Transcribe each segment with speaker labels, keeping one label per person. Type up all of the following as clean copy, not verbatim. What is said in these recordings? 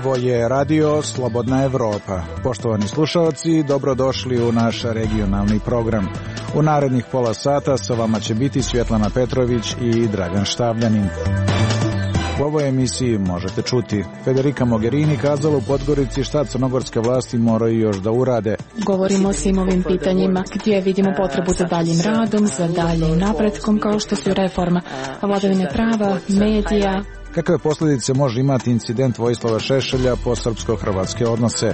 Speaker 1: Ovo je Radio Slobodna Evropa. Poštovani slušalci, dobrodošli u naš regionalni program. U narednih pola sata sa vama će biti Svjetlana Petrović i Dragan Štavljanin. U ovoj emisiji možete čuti: Federica Mogherini kazala u Podgorici šta crnogorske vlasti moraju još da urade.
Speaker 2: Govorimo o svim ovim pitanjima gdje vidimo potrebu za daljim radom, za daljim napretkom, kao što su reforma vladavine prava, medija.
Speaker 1: Kakve posljedice može imati incident Vojislava Šešelja po srpsko-hrvatske odnose?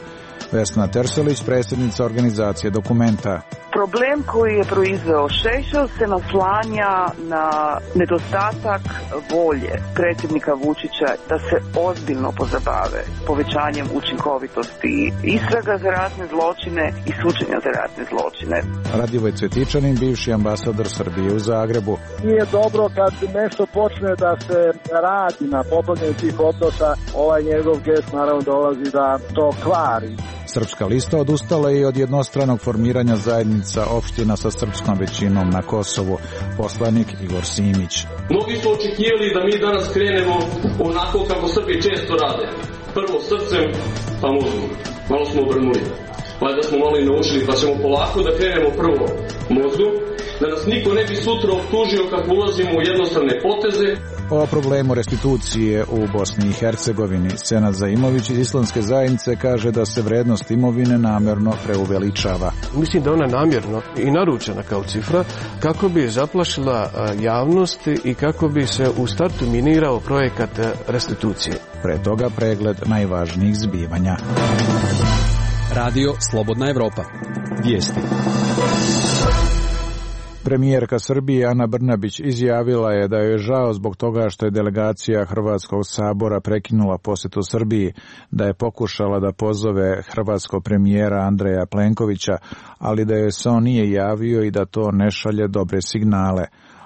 Speaker 1: Vesna Terselić, predsjednica organizacije Dokumenta.
Speaker 3: Problem koji je proizveo Šešelj se naslanja na nedostatak volje predsjednika Vučića da se ozbiljno pozabave povećanjem učinkovitosti istraga za ratne zločine i suđenja za ratne zločine.
Speaker 1: Radivoj Cvjetičanin, bivši ambasador Srbije u Zagrebu.
Speaker 4: Nije dobro kad nešto počne da se radi na popravljanju tih odnosa, ovaj njegov gest naravno dolazi da to kvari.
Speaker 1: Srpska lista odustala je od jednostranog formiranja zajednica opština sa srpskom većinom na Kosovu. Poslanik Igor Simić.
Speaker 5: Mnogi su očekivali da mi danas krenemo onako kako Srbi često rade. Prvo srcem, pa mozgom. Malo smo obrnuli. Valjda smo malo i naučili, pa ćemo polako da krenemo prvo mozgom, da nas niko ne bi sutra optužio kako ulazimo u jednostavne poteze.
Speaker 1: O problemu restitucije u Bosni i Hercegovini Senad Zaimović iz Islamske zajednice kaže da se vrednost imovine namjerno preuveličava.
Speaker 6: Mislim da ona namjerno i naručena kao cifra kako bi zaplašila javnost i kako bi se u startu minirao projekat restitucije.
Speaker 1: Pre toga pregled najvažnijih zbivanja.
Speaker 7: Radio Slobodna Evropa. Vijesti.
Speaker 1: Premijerka Srbije Ana Brnabić izjavila je da je žao zbog toga što je delegacija Hrvatskog sabora prekinula posjetu Srbiji, da je pokušala da pozove hrvatskog premijera Andreja Plenkovića, ali da joj se on nije javio i da to ne šalje dobre signale.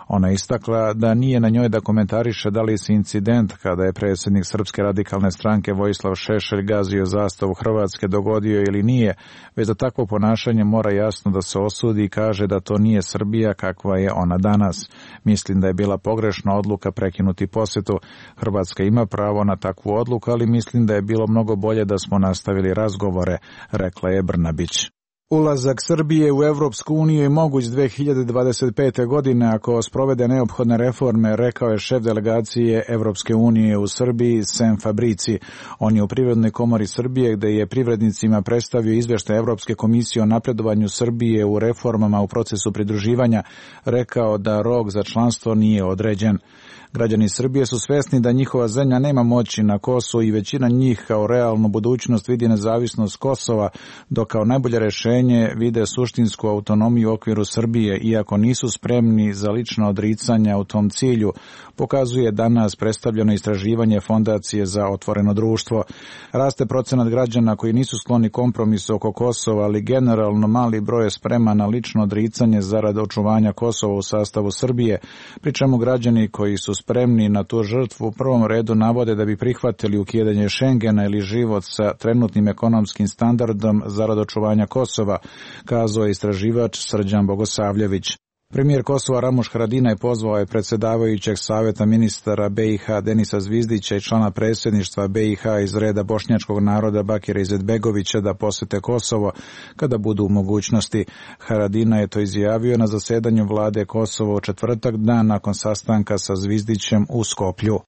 Speaker 1: Ona je istakla da nije na njoj da komentariše da li se incident kada je predsjednik Srpske radikalne stranke Vojislav Šešelj gazio zastavu Hrvatske dogodio ili nije, već da takvo ponašanje mora jasno da se osudi i kaže da to nije Srbija kakva je ona danas. Mislim da je bila pogrešna odluka prekinuti posjetu. Hrvatska ima pravo na takvu odluku, ali mislim da je bilo mnogo bolje da smo nastavili razgovore, rekla je Brnabić. Ulazak Srbije u Evropsku uniju je moguć 2025. godine ako sprovede neophodne reforme, rekao je šef delegacije Evropske unije u Srbiji Sem Fabrici. On je u Privrednoj komori Srbije, gde je privrednicima predstavio izveštaj Evropske komisije o napredovanju Srbije u reformama u procesu pridruživanja, rekao da rok za članstvo nije određen. Građani Srbije su svesni da njihova zemlja nema moći na Kosovu i većina njih kao realnu budućnost vidi nezavisnost Kosova, dok kao najbolje rješenje vide suštinsku autonomiju u okviru Srbije, iako nisu spremni za lična odricanja u tom cilju, pokazuje danas predstavljeno istraživanje Fondacije za otvoreno društvo. Raste procenat građana koji nisu skloni kompromisu oko Kosova, ali generalno mali broj je spreman na lično odricanje zarad očuvanja Kosova u sastavu Srbije, pri čemu građani koji su spremni na tu žrtvu u prvom redu navode da bi prihvatili ukidanje Šengena ili život sa trenutnim ekonomskim standardom zarad očuvanja Kosova, kazao je istraživač Srđan Bogosavljević. Premijer Kosova Ramuš Haradinaj pozvao je predsjedavajućeg savjeta ministara BiH Denisa Zvizdića i člana predsjedništva BiH iz reda bošnjačkog naroda Bakira Izetbegovića da posjete Kosovo kada budu u mogućnosti. Haradinaj je to izjavio na zasedanju vlade Kosova u četvrtak, dan nakon sastanka sa Zvizdićem u Skoplju.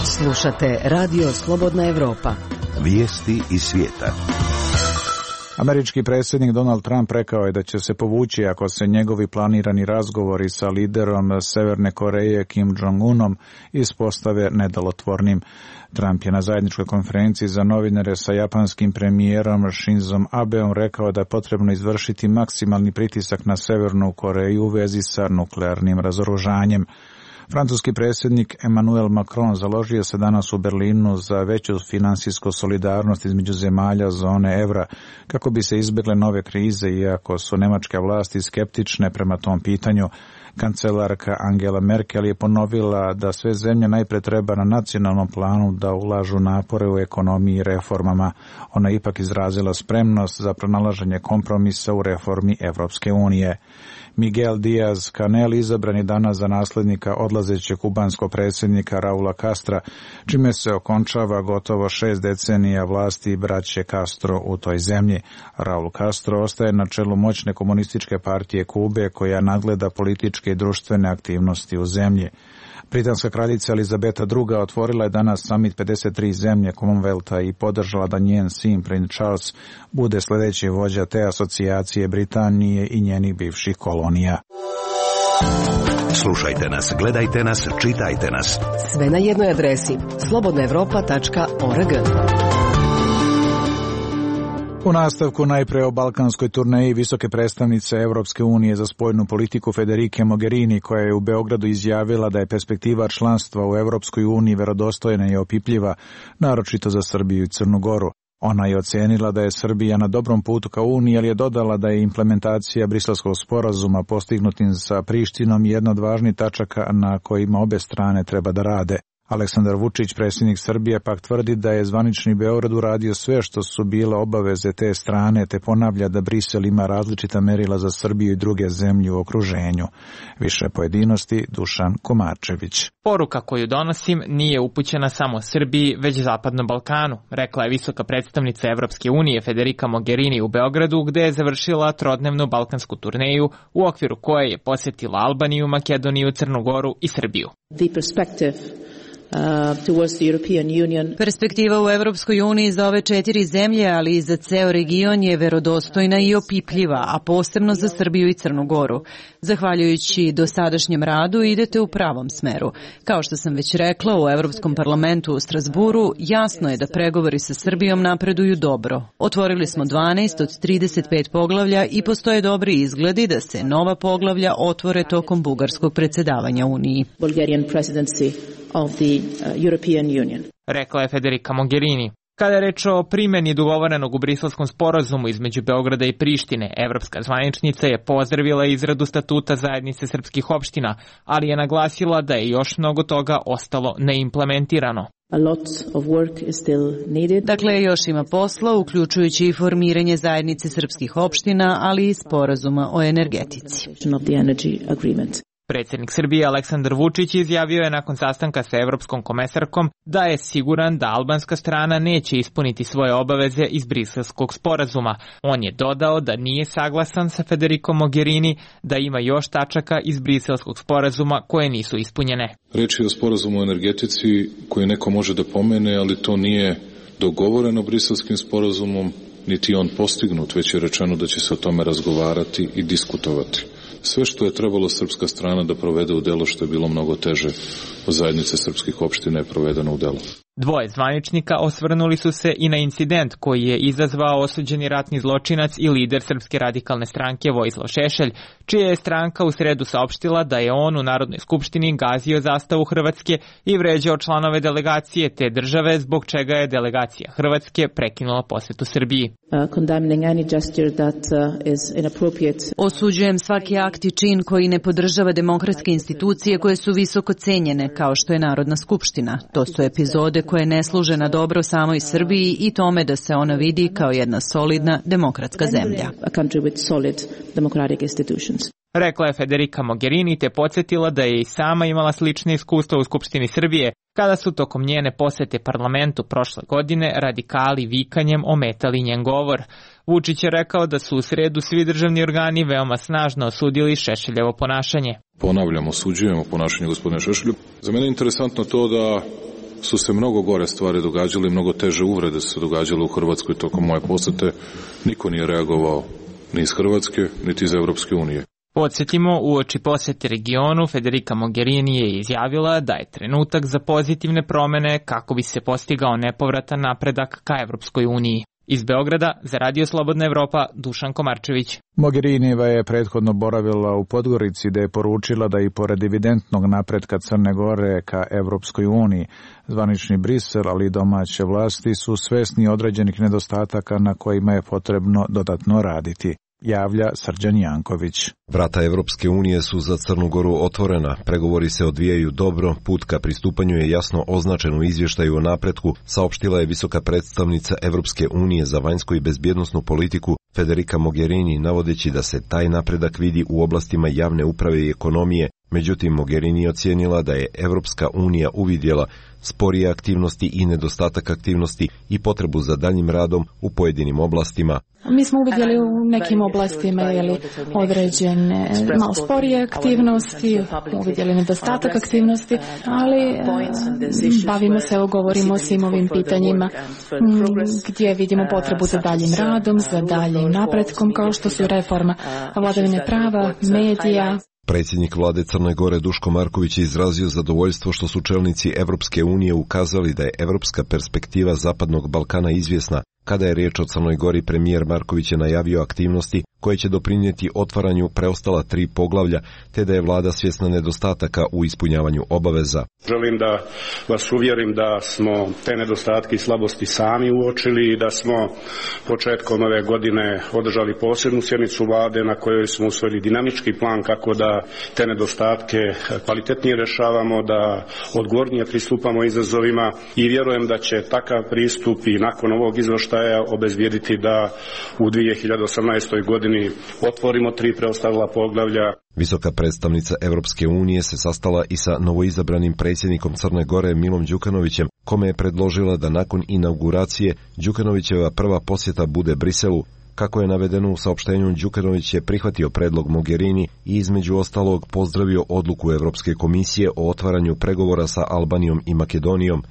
Speaker 8: Slušate Radio Slobodna Evropa.
Speaker 9: Vijesti iz svijeta.
Speaker 1: Američki predsjednik Donald Trump rekao je da će se povući ako se njegovi planirani razgovori sa liderom Severne Koreje Kim Jong-unom ispostave nedjelotvornim. Trump je na zajedničkoj konferenciji za novinare sa japanskim premijerom Shinzom Abeom rekao da je potrebno izvršiti maksimalni pritisak na Severnu Koreju u vezi sa nuklearnim razoružanjem. Francuski predsjednik Emmanuel Macron založio se danas u Berlinu za veću finansijsku solidarnost između zemalja zone evra kako bi se izbjegle nove krize, iako su nemačke vlasti skeptične prema tom pitanju. Kancelarka Angela Merkel je ponovila da sve zemlje najpre treba na nacionalnom planu da ulažu napore u ekonomiji i reformama. Ona je ipak izrazila spremnost za pronalaženje kompromisa u reformi Evropske unije. Miguel Díaz-Canel izabran je danas za naslednika odlazećeg kubanskog predsjednika Raula Castra, čime se okončava gotovo 6 decenija vlasti braće Castro u toj zemlji. Raul Castro ostaje na čelu moćne komunističke partije Kube koja nadgleda političke i društvene aktivnosti u zemlji. Britanska kraljica Elizabeta II. Otvorila je danas samit 53 zemlje Commonwealtha i podržala da njen sin princ Charles bude sljedeći vođa te asocijacije Britanije i njenih bivših kolonija.
Speaker 9: Slušajte nas, gledajte nas, čitajte nas.
Speaker 8: Sve na jednoj adresi slobodnaevropa.org.
Speaker 1: U nastavku najpre o balkanskoj turneji visoke predstavnice Evropske unije za spoljnu politiku Federike Mogherini, koja je u Beogradu izjavila da je perspektiva članstva u Evropskoj uniji verodostojna i opipljiva, naročito za Srbiju i Crnu Goru. Ona je ocenila da je Srbija na dobrom putu ka Uniji, ali je dodala da je implementacija Briselskog sporazuma postignutim sa Prištinom jedna od važnih tačaka na kojima obe strane treba da rade. Aleksandar Vučić, predsjednik Srbije, pak tvrdi da je zvanični Beograd uradio sve što su bile obaveze te strane, te ponavlja da Brisel ima različita merila za Srbiju i druge zemlje u okruženju. Više pojedinosti, Dušan Komarčević.
Speaker 10: Poruka koju donosim nije upućena samo Srbiji, već Zapadnom Balkanu, rekla je visoka predstavnica Evropske unije Federica Mogherini u Beogradu, gde je završila trodnevnu balkansku turneju, u okviru koje je posjetila Albaniju, Makedoniju, Crnu Goru i Srbiju.
Speaker 11: Perspektiva u Evropskoj uniji za ove 4 zemlje, ali i za ceo region je verodostojna i opipljiva, a posebno za Srbiju i Crnu Goru. Zahvaljujući dosadašnjem radu idete u pravom smeru. Kao što sam već rekla, u Evropskom parlamentu u Strasburu jasno je da pregovori sa Srbijom napreduju dobro. Otvorili smo 12 od 35 poglavlja i postoje dobri izgledi da se nova poglavlja otvore tokom bugarskog predsjedavanja Uniji.
Speaker 10: Of the European Union. Rekla je Federica Mogherini. Kada je reč o primjeni dogovorenog u Briselskom sporazumu između Beograda i Prištine, evropska zvaničnica je pozdravila izradu statuta zajednice srpskih opština, ali je naglasila da je još mnogo toga ostalo neimplementirano.
Speaker 11: Dakle, još ima posla, uključujući i formiranje zajednice srpskih opština, ali i sporazuma o energetici.
Speaker 10: Predsjednik Srbije Aleksandar Vučić izjavio je nakon sastanka sa evropskom komesarkom da je siguran da albanska strana neće ispuniti svoje obaveze iz Briselskog sporazuma. On je dodao da nije saglasan sa Federicom Mogherini, da ima još tačaka iz Briselskog sporazuma koje nisu ispunjene.
Speaker 12: Reč je o sporazumu o energetici koji neko može da pomene, ali to nije dogovoreno Briselskim sporazumom, niti on postignut, već je rečeno da će se o tome razgovarati i diskutovati. Sve što je trebalo srpska strana da provede u delo, što je bilo mnogo teže od zajednice srpskih opština, je provedeno u delo.
Speaker 10: Dvoje zvaničnika osvrnuli su se i na incident koji je izazvao osuđeni ratni zločinac i lider Srpske radikalne stranke Vojislav Šešelj, čija je stranka u sredu saopštila da je on u Narodnoj skupštini gazio zastavu Hrvatske i vređao članove delegacije te države, zbog čega je delegacija Hrvatske prekinula posetu Srbiji.
Speaker 11: Osuđujem svaki akt i čin koji ne podržava demokratske institucije koje su visoko cenjene, kao što je Narodna skupština. To su epizode koje ne služe na dobro samoj Srbiji i tome da se ona vidi kao jedna solidna demokratska zemlja.
Speaker 10: Rekla je Federica Mogherini te podsjetila da je i sama imala slične iskustva u Skupštini Srbije, kada su tokom njene posete parlamentu prošle godine radikali vikanjem ometali njen govor. Vučić je rekao da su u sredu svi državni organi veoma snažno osudili Šešeljevo ponašanje.
Speaker 12: Ponavljam, osuđujemo ponašanje gospodina Šešelja. Za mene je interesantno to da su se mnogo gore stvari događale, mnogo teže uvrede su se događale u Hrvatskoj tokom moje posete. Niko nije reagovao ni iz Hrvatske, niti iz Evropske unije.
Speaker 10: Podsjetimo, uoči posete regionu, Federica Mogherini je izjavila da je trenutak za pozitivne promene kako bi se postigao nepovratan napredak ka Evropskoj uniji. Iz Beograda, za Radio Slobodna Evropa, Dušan Komarčević.
Speaker 1: Mogherinijeva je prethodno boravila u Podgorici, da je poručila da i pored evidentnog napretka Crne Gore ka Evropskoj uniji, zvanični Brisel, ali i domaće vlasti su svesni određenih nedostataka na kojima je potrebno dodatno raditi. javlja Srđan Janković.
Speaker 13: Vrata Evropske unije su za Crnu Goru otvorena, pregovori se odvijaju dobro, put ka pristupanju je jasno označen u izvještaju o napretku, saopštila je visoka predstavnica Evropske unije za vanjsku i bezbjednosnu politiku Federica Mogherini, navodeći da se taj napredak vidi u oblastima javne uprave i ekonomije. Međutim, Mogherini ocijenila da je Evropska unija uvidjela sporije aktivnosti i nedostatak aktivnosti i potrebu za daljnjim radom u pojedinim oblastima.
Speaker 2: Mi smo uvidjeli u nekim oblastima određene malo sporije aktivnosti, uvidjeli nedostatak aktivnosti, ali bavimo se, govorimo o svim ovim pitanjima gdje vidimo potrebu za daljim radom, za daljim napretkom, kao što su reforma vladavine prava, medija.
Speaker 13: Predsjednik vlade Crne Gore Duško Marković je izrazio zadovoljstvo što su čelnici Evropske unije ukazali da je evropska perspektiva Zapadnog Balkana izvjesna. Kada je riječ o Crnoj Gori, premijer Marković je najavio aktivnosti koje će doprinijeti otvaranju preostala 3 poglavlja, te da je vlada svjesna nedostataka u ispunjavanju obaveza.
Speaker 14: Želim da vas uvjerim da smo te nedostatke i slabosti sami uočili i da smo početkom ove godine održali posebnu sjednicu vlade na kojoj smo usvojili dinamički plan kako da te nedostatke kvalitetnije rješavamo, da odgovornije pristupamo izazovima i vjerujem da će takav pristup i nakon ovog izvještaja obezbijediti da u 2018. godini otvorimo 3 preostala poglavlja.
Speaker 13: Visoka predstavnica Evropske unije se sastala i sa novoizabranim predsjednikom Crne Gore Milom Đukanovićem, kome je predložila da nakon inauguracije Đukanovićeva prva posjeta bude Briselu. Kako je navedeno u saopštenju, Đukanović je prihvatio predlog Mogherini i između ostalog pozdravio odluku Evropske komisije o otvaranju pregovora sa Albanijom i Makedonijom.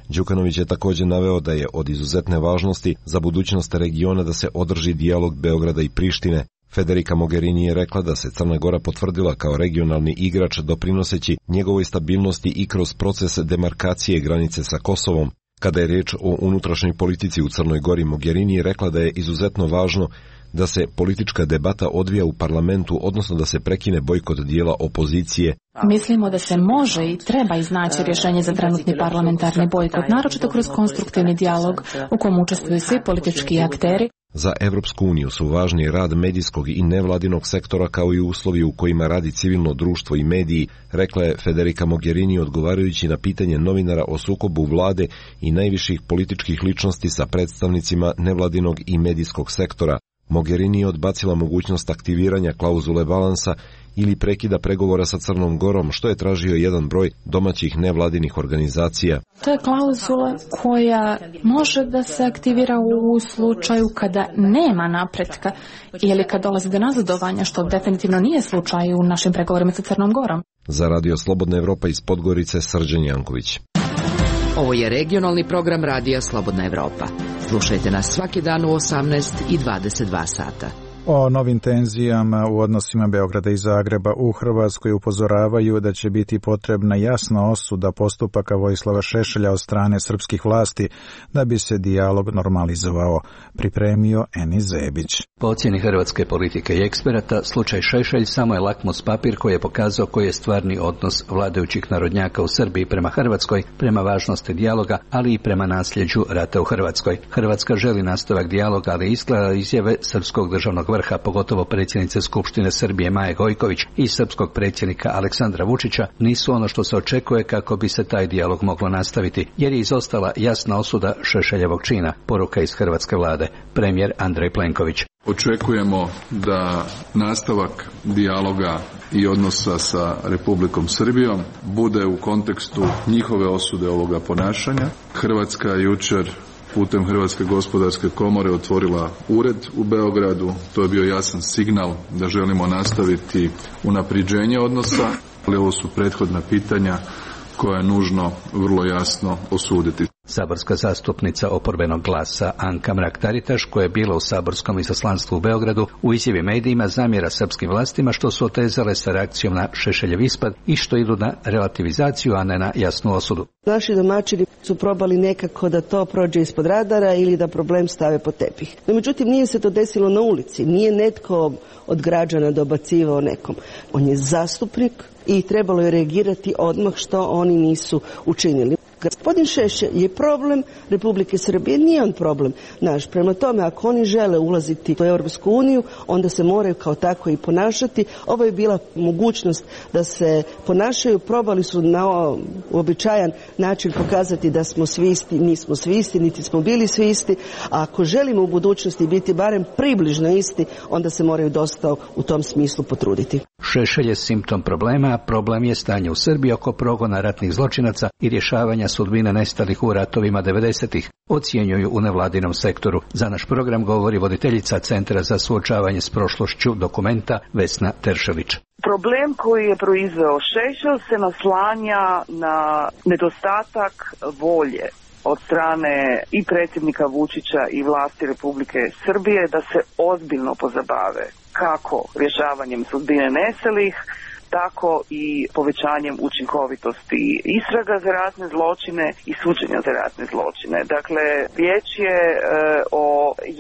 Speaker 13: Đukanović je također naveo da je od izuzetne važnosti za budućnost regiona da se održi dijalog Beograda i Prištine. Federica Mogherini je rekla da se Crna Gora potvrdila kao regionalni igrač doprinoseći njegovoj stabilnosti i kroz proces demarkacije granice sa Kosovom. Kada je riječ o unutrašnjoj politici u Crnoj Gori, Mogherini je rekla da je izuzetno važno da se politička debata odvija u parlamentu, odnosno da se prekine bojkot dijela opozicije.
Speaker 2: Mislimo da se može i treba iznaći rješenje za trenutni parlamentarni bojkot, naročito kroz konstruktivni dijalog u kojem učestvuju svi politički akteri.
Speaker 13: Za Evropsku uniju su važni rad medijskog i nevladinog sektora kao i uslovi u kojima radi civilno društvo i mediji, rekla je Federica Mogherini odgovarajući na pitanje novinara o sukobu vlade i najviših političkih ličnosti sa predstavnicima nevladinog i medijskog sektora. Mogherini je odbacila mogućnost aktiviranja klauzule balansa ili prekida pregovora sa Crnom Gorom, što je tražio jedan broj domaćih nevladinih organizacija.
Speaker 2: To je klauzula koja može da se aktivira u slučaju kada nema napretka ili kad dolazi do nazadovanja, što definitivno nije slučaj u našim pregovorima sa Crnom Gorom.
Speaker 13: Za Radio Slobodna Evropa iz Podgorice, Srđan Janković.
Speaker 8: Ovo je regionalni program Radija Slobodna Evropa. Slušajte nas svaki dan u 18 i 22 sata.
Speaker 1: O novim tenzijama u odnosima Beograda i Zagreba u Hrvatskoj upozoravaju da će biti potrebna jasna osuda postupaka Vojislava Šešelja od strane srpskih vlasti da bi se dijalog normalizovao, pripremio Enis Zebić.
Speaker 15: Po ocjeni hrvatske politike i eksperata, slučaj Šešelj samo je lakmus papir koji je pokazao koji je stvarni odnos vladajućih narodnjaka u Srbiji prema Hrvatskoj, prema važnosti dijaloga, ali i prema nasljeđu rata u Hrvatskoj. Hrvatska želi nastavak dijaloga, ali izgleda izjave srpskog državnog vrha, pogotovo predsjednice Skupštine Srbije Maje Gojković i srpskog predsjednika Aleksandra Vučića, nisu ono što se očekuje kako bi se taj dijalog moglo nastaviti, jer je izostala jasna osuda Šešeljevog čina, poruka iz hrvatske vlade, premijer Andrej Plenković.
Speaker 12: Očekujemo da nastavak dijaloga i odnosa sa Republikom Srbijom bude u kontekstu njihove osude ovoga ponašanja. Hrvatska je jučer putem Hrvatske gospodarske komore otvorila ured u Beogradu. To je bio jasan signal da želimo nastaviti unapređenje odnosa, ali ovo su prethodna pitanja koja je nužno vrlo jasno osuditi.
Speaker 15: Saborska zastupnica oporbenog glasa Anka Mrak-Taritaš, koja je bila u saborskom izaslanstvu u Beogradu, u izjavi medijima zamjera srpskim vlastima što su otezale sa reakcijom na Šešeljev ispad i što idu na relativizaciju, a ne na jasnu osudu.
Speaker 16: Naši domaćini su probali nekako da to prođe ispod radara ili da problem stave pod tepih. No, međutim, nije se to desilo na ulici, nije netko od građana dobacivao nekom. On je zastupnik i trebalo je reagirati odmah što oni nisu učinili. Gospodin Šešelj je problem Republike Srbije, nije on problem naš. Prema tome, ako oni žele ulaziti u Europsku uniju, onda se moraju kao tako i ponašati. Ovo je bila mogućnost da se ponašaju, probali su na uobičajan način pokazati da smo svi isti, nismo svi isti, niti smo bili svi isti, a ako želimo u budućnosti biti barem približno isti, onda se moraju dosta u tom smislu potruditi.
Speaker 15: Šešelj je simptom problema, a problem je stanje u Srbiji oko progona ratnih zločinaca i rješavanja sudbine nestalih u ratovima 90-ih, ocjenjuju u nevladinom sektoru. Za naš program govori voditeljica Centra za suočavanje s prošlošću Dokumenta Vesna Teršević.
Speaker 3: Problem koji je proizveo Šešelj se naslanja na nedostatak volje od strane i predsjednika Vučića i vlasti Republike Srbije da se ozbiljno pozabave kako rješavanjem sudbine nestalih, tako i povećanjem učinkovitosti istraga za ratne zločine i suđenja za ratne zločine. Dakle, riječ je o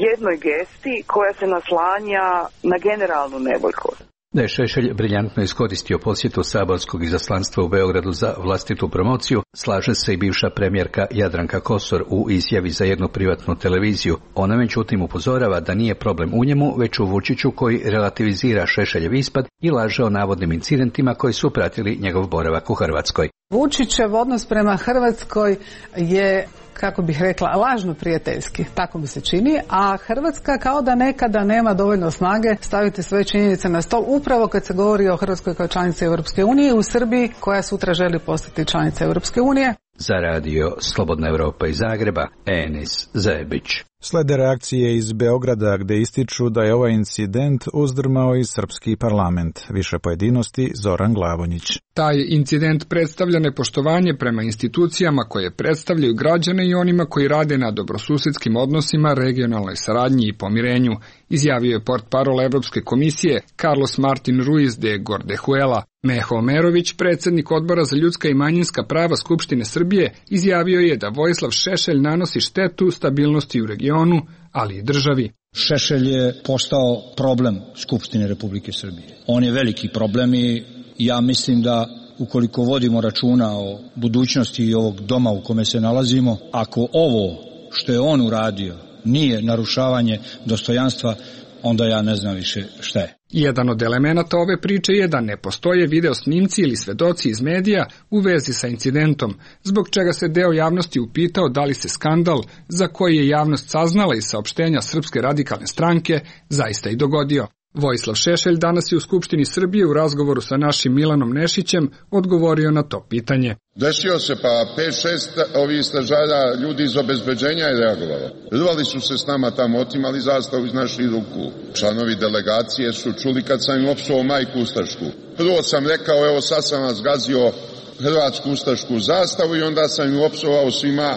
Speaker 3: jednoj gesti koja se naslanja na generalnu nevoljkost. Da je
Speaker 15: Šešelj briljantno iskoristio posjetu saborskog izaslanstva u Beogradu za vlastitu promociju, slaže se i bivša premijerka Jadranka Kosor u izjavi za jednu privatnu televiziju. Ona međutim upozorava da nije problem u njemu, već u Vučiću koji relativizira Šešeljev ispad i laže o navodnim incidentima koji su pratili njegov boravak u Hrvatskoj.
Speaker 17: Vučićev odnos prema Hrvatskoj je, kako bih rekla, lažno prijateljski, tako mi se čini, a Hrvatska kao da nekada nema dovoljno snage staviti sve činjenice na stol, upravo kad se govori o Hrvatskoj kao članici Europske unije, u Srbiji koja sutra želi postati članica Europske unije.
Speaker 15: Za radio Slobodna Evropa iz Zagreba, Enis Zebić.
Speaker 1: Slede reakcije iz Beograda gde ističu da je ovaj incident uzdrmao i srpski parlament. Više pojedinosti Zoran Glavonjić.
Speaker 18: Taj incident predstavlja nepoštovanje prema institucijama koje predstavljaju građane i onima koji rade na dobrosusedskim odnosima, regionalnoj saradnji i pomirenju, izjavio je portparol Evropske komisije Carlos Martin Ruiz de Gordejuela. Meho Omerović, predsjednik Odbora za ljudska i manjinska prava Skupštine Srbije, izjavio je da Vojislav Šešelj nanosi štetu stabilnosti u regionu, ali i državi.
Speaker 19: Šešelj je postao problem Skupštine Republike Srbije. On je veliki problem i ja mislim da ukoliko vodimo računa o budućnosti i ovog doma u kome se nalazimo, ako ovo što je on uradio nije narušavanje dostojanstva, onda ja ne znam više šta je.
Speaker 18: Jedan od elemenata ove priče je da ne postoje video snimci ili svedoci iz medija u vezi sa incidentom, zbog čega se deo javnosti upitao da li se skandal, za koji je javnost saznala iz saopštenja Srpske radikalne stranke, zaista i dogodio. Vojislav Šešelj danas je u Skupštini Srbije u razgovoru sa našim Milanom Nešićem odgovorio na to pitanje.
Speaker 20: Desio se, pa 5-6 ovih stražara ljudi iz obezbeđenja je reagovalo. Rvali su se s nama tamo, otimali zastavu iz naših ruku. Članovi delegacije su čuli kad sam im opsovao majku ustašku. Prvo sam rekao, evo sad sam vas zgazio hrvatsku ustašku zastavu i onda sam im opsovao svima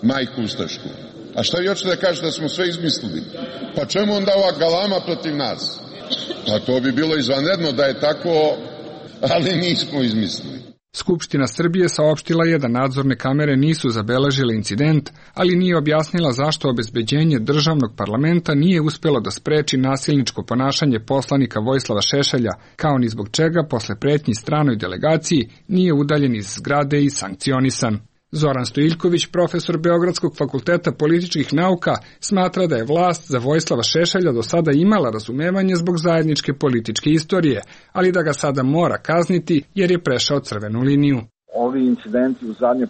Speaker 20: majku ustašku. A šta vi hoćete da kažete da smo sve izmislili? Pa čemu onda ova galama protiv nas? Pa to bi bilo izvanredno da je tako, ali nismo izmislili.
Speaker 18: Skupština Srbije saopštila je da nadzorne kamere nisu zabeležile incident, ali nije objasnila zašto obezbeđenje državnog parlamenta nije uspelo da spreči nasilničko ponašanje poslanika Vojislava Šešelja, kao ni zbog čega posle pretnji stranoj delegaciji nije udaljen iz zgrade i sankcionisan. Zoran Stojiljković, profesor Beogradskog fakulteta političkih nauka, smatra da je vlast za Vojislava Šešelja do sada imala razumevanje zbog zajedničke političke istorije, ali da ga sada mora kazniti jer je prešao crvenu liniju.
Speaker 4: Ovi incidenti u zadnje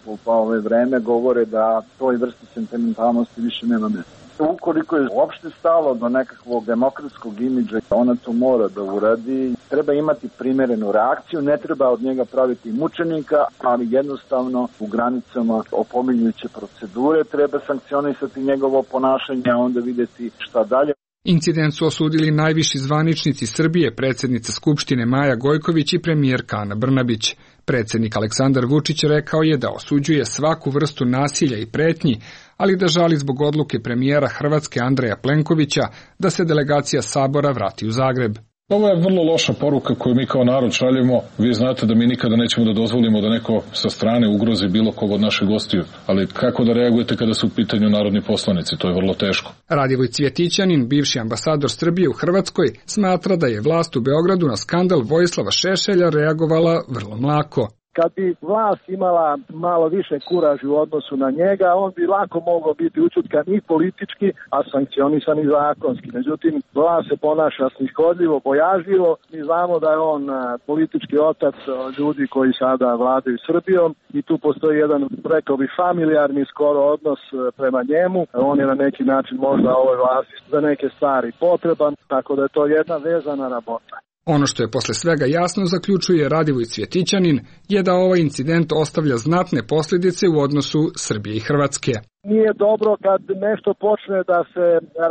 Speaker 4: vreme govore da toj vrsti sentimentalnosti više nema mjesta. Ukoliko je uopšte stalo do nekakvog demokratskog imidža, ona to mora da uradi. Treba imati primerenu reakciju, ne treba od njega praviti mučenika, ali jednostavno u granicama opominjuće procedure treba sankcionisati njegovo ponašanje, a onda vidjeti šta dalje.
Speaker 18: Incident su osudili najviši zvaničnici Srbije, predsjednica Skupštine Maja Gojković i premijerka Ana Brnabić. Predsjednik Aleksandar Vučić rekao je da osuđuje svaku vrstu nasilja i pretnji, ali da žali zbog odluke premijera Hrvatske Andreja Plenkovića da se delegacija Sabora vrati u Zagreb.
Speaker 12: Ovo je vrlo loša poruka koju mi kao narod šaljemo. Vi znate da mi nikada nećemo da dozvolimo da neko sa strane ugrozi bilo kog od naših gostiju. Ali kako da reagujete kada su u pitanju narodni poslanici? To je vrlo teško.
Speaker 18: Radivoj Cvjetićanin, bivši ambasador Srbije u Hrvatskoj, smatra da je vlast u Beogradu na skandal Vojislava Šešelja reagovala vrlo mlako.
Speaker 21: Kad bi vlast imala malo više kuraži u odnosu na njega, on bi lako mogao biti učutkan i politički, a sankcionisan i zakonski. Međutim, vlast se ponaša snishodljivo, bojažljivo. Mi znamo da je on politički otac ljudi koji sada vladaju Srbijom i tu postoji jedan, rekao bi, familijarni skoro odnos prema njemu. On je na neki način možda ovoj vlasti za neke stvari potreban, tako da je to jedna vezana rabota.
Speaker 18: Ono što je posle svega jasno, zaključuje Radivoj Cvjetićanin, je da ovaj incident ostavlja znatne posljedice u odnosu Srbije i Hrvatske.
Speaker 21: Nije dobro kad nešto počne da se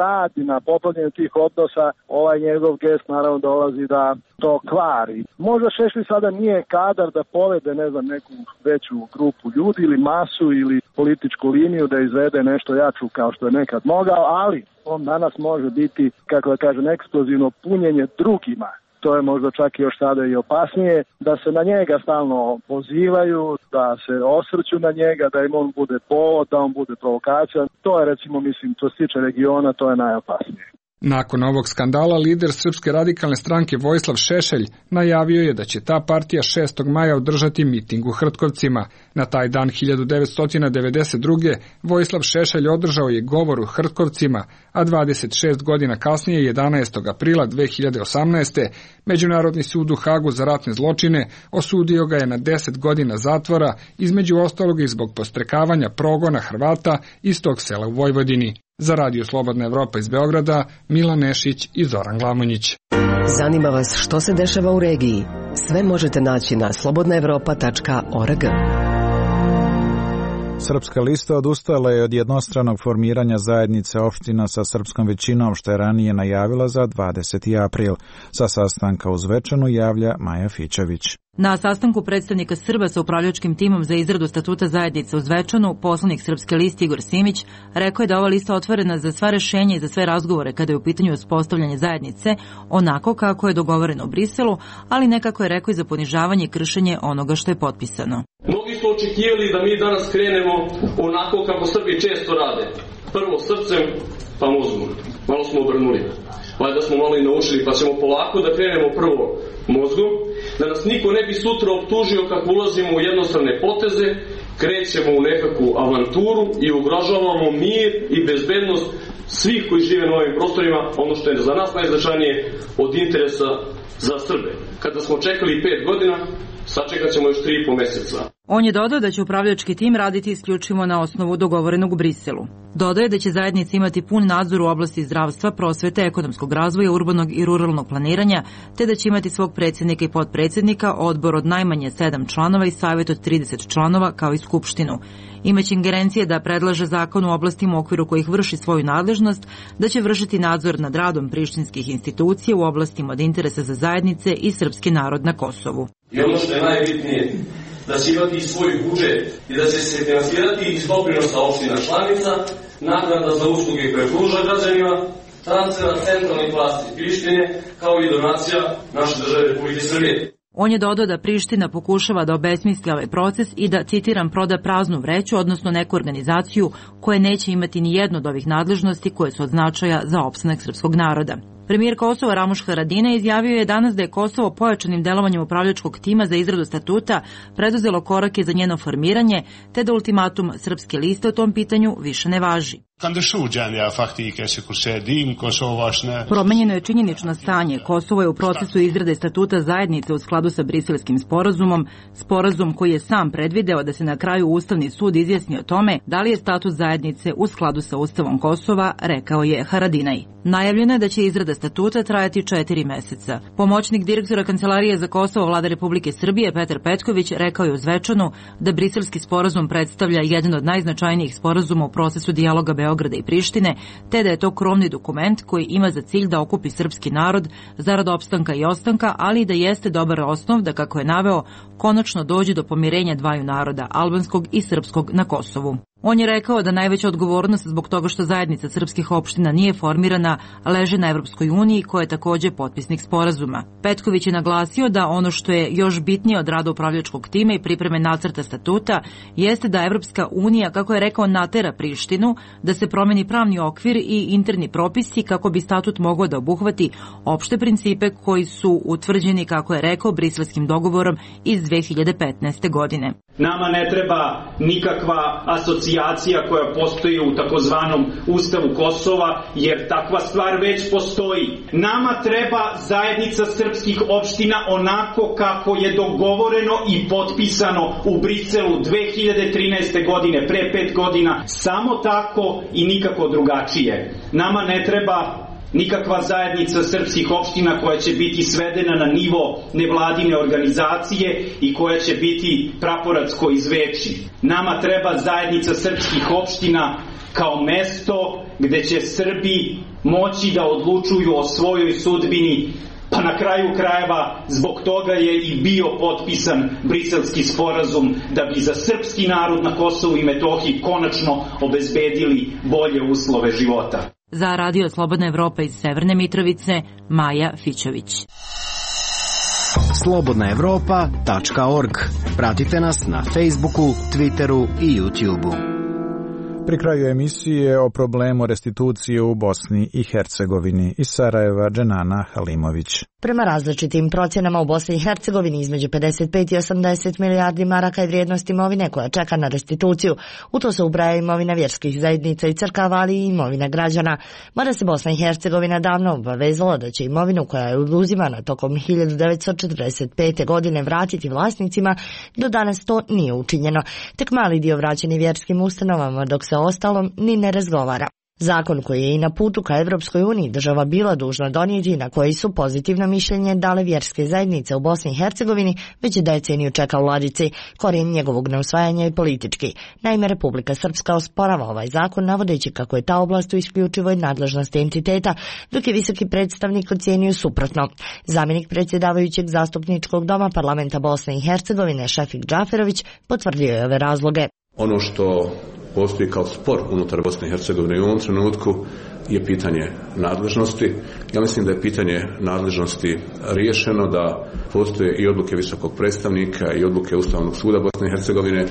Speaker 21: radi na popravljanju tih odnosa, ovaj njegov gest naravno dolazi da to kvari. Možda Šešelj sada nije kadar da povede, neku veću grupu ljudi ili masu ili političku liniju da izvede nešto jaču kao što je nekad mogao, ali on danas može biti, kako da kažem, eksplozivno punjenje drugima. To je možda čak i još sada i opasnije, da se na njega stalno pozivaju, da se osvrću na njega, da im on bude povod, da on bude provokacija. To je, recimo, što se tiče regiona, to je najopasnije.
Speaker 18: Nakon ovog skandala, lider Srpske radikalne stranke Vojislav Šešelj najavio je da će ta partija 6. maja održati miting u Hrtkovcima. Na taj dan 1992. Vojislav Šešelj održao je govor u Hrtkovcima, a 26 godina kasnije, 11. aprila 2018. Međunarodni sud u Hagu za ratne zločine osudio ga je na 10 godina zatvora, između ostalog i zbog podstrekavanja progona Hrvata iz tog sela u Vojvodini. Za Radio Slobodna Evropa iz Beograda, Milan Nešić i Zoran Glamonjić.
Speaker 22: Zanima vas što se dešava u regiji? Sve možete naći na slobodnaevropa.org.
Speaker 1: Srpska lista odustala je od jednostranog formiranja zajednice opština sa srpskom većinom, što je ranije najavila za 20. april. Sa sastanka u Zvečanu javlja Maja Fićević.
Speaker 23: Na sastanku predstavnika Srba sa upravljačkim timom za izradu statuta zajednice u Zvečanu, poslanik Srpske liste Igor Simić rekao je da ova lista otvorena za sva rešenja i za sve razgovore kada je u pitanju uspostavljanje zajednice, onako kako je dogovoreno u Briselu, ali nekako je rekao i za ponižavanje i kršenje onoga što je potpisano.
Speaker 5: Mnogi su očekivali da mi danas krenemo onako kako Srbi često rade. Prvo srcem, pa mozgom. Malo smo obrnuli. Valjda smo malo i naučili, pa ćemo polako da krenemo prvo mozgom, da nas niko ne bi sutra optužio kako ulazimo u jednostrane poteze, krećemo u nekakvu avanturu i ugrožavamo mir i bezbednost svih koji žive na ovim prostorima, ono što je za nas najznačajnije od interesa za Srbe. Kada smo čekali 5 godina, sačekat ćemo još 3,5 meseca.
Speaker 23: On je dodao da će upravljački tim raditi isključivo na osnovu dogovorenog u Briselu. Dodaje da će zajednica imati pun nadzor u oblasti zdravstva, prosvete, ekonomskog razvoja, urbanog i ruralnog planiranja, te da će imati svog predsjednika i potpredsjednika, odbor od najmanje 7 članova i savjet od 30 članova, kao i skupštinu. Imaće ingerencije da predlaže zakon u oblastima u okviru kojih vrši svoju nadležnost, da će vršiti nadzor nad radom prištinskih institucija u oblastima od interesa za zajednice i srpski narod na Kosovu.
Speaker 5: I ono što je najbitnije, da će imati svoj budžet i da će se finansirati iz doprinosa opština članica, naknada za usluge koje pruža građanima, transfera centralnih vlasti Prištine, kao i donacija naše države Republike Srbije.
Speaker 23: On je dodao da Priština pokušava da obesmisli ovaj proces i da, citiram, proda praznu vreću, odnosno neku organizaciju koja neće imati ni jednu od ovih nadležnosti koje su od značaja za opstanak srpskog naroda. Premijer Kosova Ramuš Haradinaj izjavio je danas da je Kosovo pojačanim delovanjem upravljačkog tima za izradu statuta preduzelo korake za njeno formiranje, te da ultimatum Srpske liste o tom pitanju više ne važi. Promenjeno je činjenično stanje. Kosovo je u procesu izrade statuta zajednice u skladu sa Briselskim sporazumom, sporazum koji je sam predvideo da se na kraju Ustavni sud izjasni o tome da li je status zajednice u skladu sa Ustavom Kosova, rekao je Haradinaj. Najavljeno je da će izrada statuta trajati 4 meseca. Pomoćnik direktora Kancelarije za Kosovo Vlade Republike Srbije Petar Petković rekao je u Zvečanu da Briselski sporazum predstavlja jedan od najznačajnijih sporazuma u procesu dijaloga Beograda i Prištine, te da je to krovni dokument koji ima za cilj da okupi srpski narod zarad opstanka i ostanka, ali i da jeste dobar osnov da, kako je naveo, konačno dođe do pomirenja dvaju naroda, albanskog i srpskog, na Kosovu. On je rekao da najveća odgovornost zbog toga što zajednica srpskih opština nije formirana leži na Evropskoj uniji, koja je takođe potpisnik sporazuma. Petković je naglasio da ono što je još bitnije od rada upravljačkog tima i pripreme nacrta statuta jeste da Evropska unija, kako je rekao, natera Prištinu da se promeni pravni okvir i interni propisi kako bi statut mogao da obuhvati opšte principe koji su utvrđeni, kako je rekao, Briselskim dogovorom iz 2015. godine.
Speaker 6: Nama ne treba nikakva asocijacija koja postoji u takozvanom Ustavu Kosova, jer takva stvar već postoji. Nama treba zajednica srpskih opština onako kako je dogovoreno i potpisano u Briselu 2013. godine, pre 5 godina. Samo tako i nikako drugačije. Nama ne treba nikakva zajednica srpskih opština koja će biti svedena na nivo nevladine organizacije i koja će biti praporacko izveći. Nama treba zajednica srpskih opština kao mesto gde će Srbi moći da odlučuju o svojoj sudbini, pa na kraju krajeva zbog toga je i bio potpisan Briselski sporazum, da bi za srpski narod na Kosovu i Metohiji konačno obezbedili bolje uslove života.
Speaker 23: Za Radio Slobodna Evropa iz Severne Mitrovice, Maja Fićović.
Speaker 7: slobodnaevropa.org. Pratite nas na Facebooku, Twitteru i YouTubeu.
Speaker 1: Pri kraju emisije o problemu restitucije u Bosni i Hercegovini. Iz Sarajeva, Dženana Halimović.
Speaker 9: Prema različitim procjenama u Bosni i Hercegovini između 55 i 80 milijardi maraka je vrijednost imovine koja čeka na restituciju. U to se ubraja imovina vjerskih zajednica i crkava, ali i imovina građana. Mada se Bosna i Hercegovina davno obavezala da će imovinu koja je oduzimana tokom 1945. godine vratiti vlasnicima, do danas to nije učinjeno. Tek mali dio vraćeni vjerskim ustanovama, dok se ostalom ni ne razgovara. Zakon koji je i na putu ka Evropskoj uniji država bila dužna donijeti, na koji su pozitivno mišljenje dale vjerske zajednice u Bosni i Hercegovini, već je deceniju čeka u ladici. Korijen njegovog neusvajanja je politički. Naime, Republika Srpska osporava ovaj zakon, navodeći kako je ta oblast u isključivoj nadležnosti entiteta, dok je visoki predstavnik ocijenio suprotno. Zamjenik predsjedavajućeg zastupničkog doma parlamenta Bosne i Hercegovine, Šefik Džaferović, potvrdio je ove razloge.
Speaker 24: Ono što postoji kao spor unutar Bosne i Hercegovine u ovom trenutku je pitanje nadležnosti. Ja mislim da je pitanje nadležnosti riješeno, da postoje i odluke visokog predstavnika i odluke Ustavnog suda Bosne i Hercegovine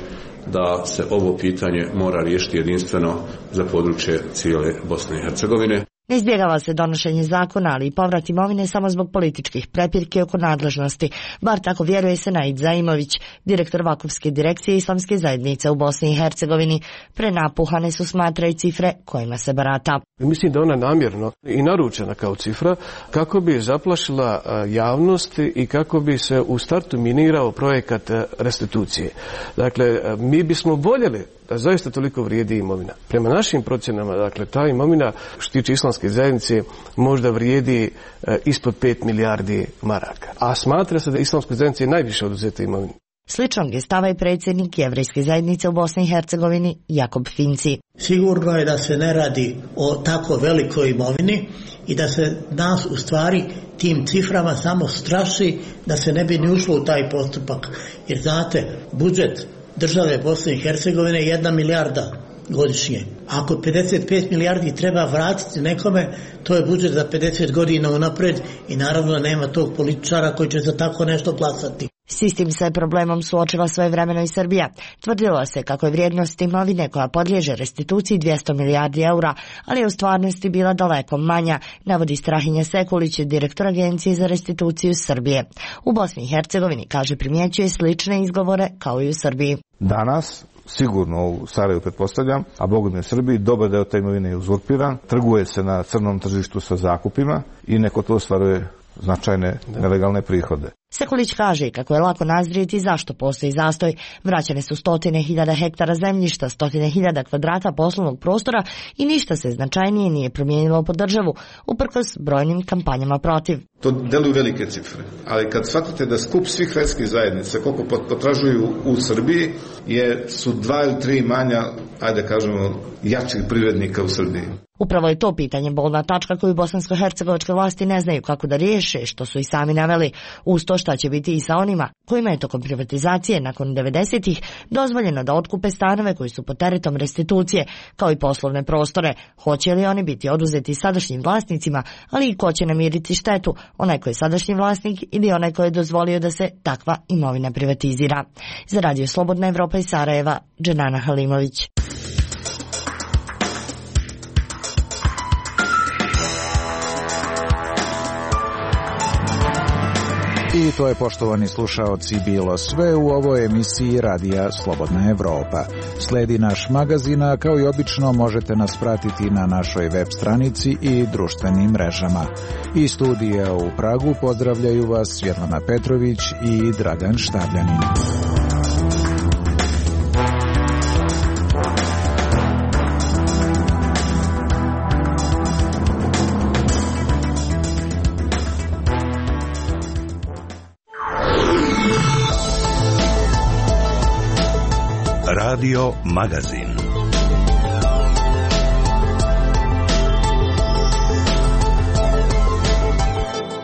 Speaker 24: da se ovo pitanje mora riješiti jedinstveno za područje cijele Bosne i Hercegovine.
Speaker 9: Ne izbjegava se donošenje zakona, ali i povrat imovine samo zbog političkih prepirki oko nadležnosti. Bar tako vjeruje Senaid Zaimović, direktor Vakufske direkcije Islamske zajednice u Bosni i Hercegovini. Prenapuhane su, smatra, i cifre kojima se barata.
Speaker 25: Mislim da ona namjerno i naručena kao cifra kako bi zaplašila javnost i kako bi se u startu minirao projekat restitucije. Dakle, mi bismo voljeli da zaista toliko vrijedi imovina. Prema našim procjenama, dakle, ta imovina što tiče Islamske zajednice možda vrijedi ispod 5 milijardi maraka. A smatra se da Islamskoj zajednici je najviše oduzeta imovina.
Speaker 9: Sličnog je stava i predsjednik Jevrejske zajednice u Bosni i Hercegovini, Jakob Finci.
Speaker 26: Sigurno je da se ne radi o tako velikoj imovini i da se nas u stvari tim ciframa samo straši da se ne bi ni ušlo u taj postupak. Jer znate, budžet države Bosne i Hercegovine je 1 milijarda godišnje. Ako 55 milijardi treba vratiti nekome, to je budžet za 50 godina unapred i naravno nema tog političara koji će za tako nešto glasati.
Speaker 9: S istim se problemom suočila svojevremeno i Srbija. Tvrdilo se kako je vrijednost imovine koja podliježe restituciji 200 milijardi eura, ali je u stvarnosti bila daleko manja, navodi Strahinja Sekulić, direktor Agencije za restituciju Srbije. U Bosni i Hercegovini, kaže, primjećuje slične izgovore kao i u Srbiji.
Speaker 27: Danas sigurno u Sarajevu pretpostavljam, a bogom je Srbiji, dobar deo te imovine je uzurpiran, trguje se na crnom tržištu sa zakupima i neko to ostvaruje značajne nelegalne prihode.
Speaker 9: Sekulić kaže kako je lako nazrijeti zašto postoji zastoj. Vraćane su 100.000 hektara zemljišta, 100.000 kvadrata poslovnog prostora i ništa se značajnije nije promijenilo po državu, uprkos brojnim kampanjama protiv.
Speaker 28: To deluju velike cifre, ali kad shvatite da skup svih vjerskih zajednica koliko potražuju u Srbiji su 2 ili 3 manja, ajde kažemo, jačih privrednika u Srbiji.
Speaker 9: Upravo je to pitanje bolna tačka koju bosansko-hercegovačke vlasti ne znaju kako da riješe, što su i sami naveli, uz to šta će biti i sa onima kojima je tokom privatizacije nakon 90-ih dozvoljeno da otkupe stanove koji su pod teretom restitucije, kao i poslovne prostore. Hoće li oni biti oduzeti sadašnjim vlasnicima, ali i ko će namiriti štetu, onaj koji je sadašnji vlasnik ili onaj koji je dozvolio da se takva imovina privatizira. Za Radio Slobodna Evropa iz Sarajeva, Dženana Halimović.
Speaker 1: I to je, poštovani slušaoci, bilo sve u ovoj emisiji Radija Slobodna Evropa. Sledi naš magazin, a kao i obično možete nas pratiti na našoj web stranici i društvenim mrežama. Iz studija u Pragu pozdravljaju vas Svjetlana Petrović i Dragan Štavljanin.
Speaker 2: Radio Magazin.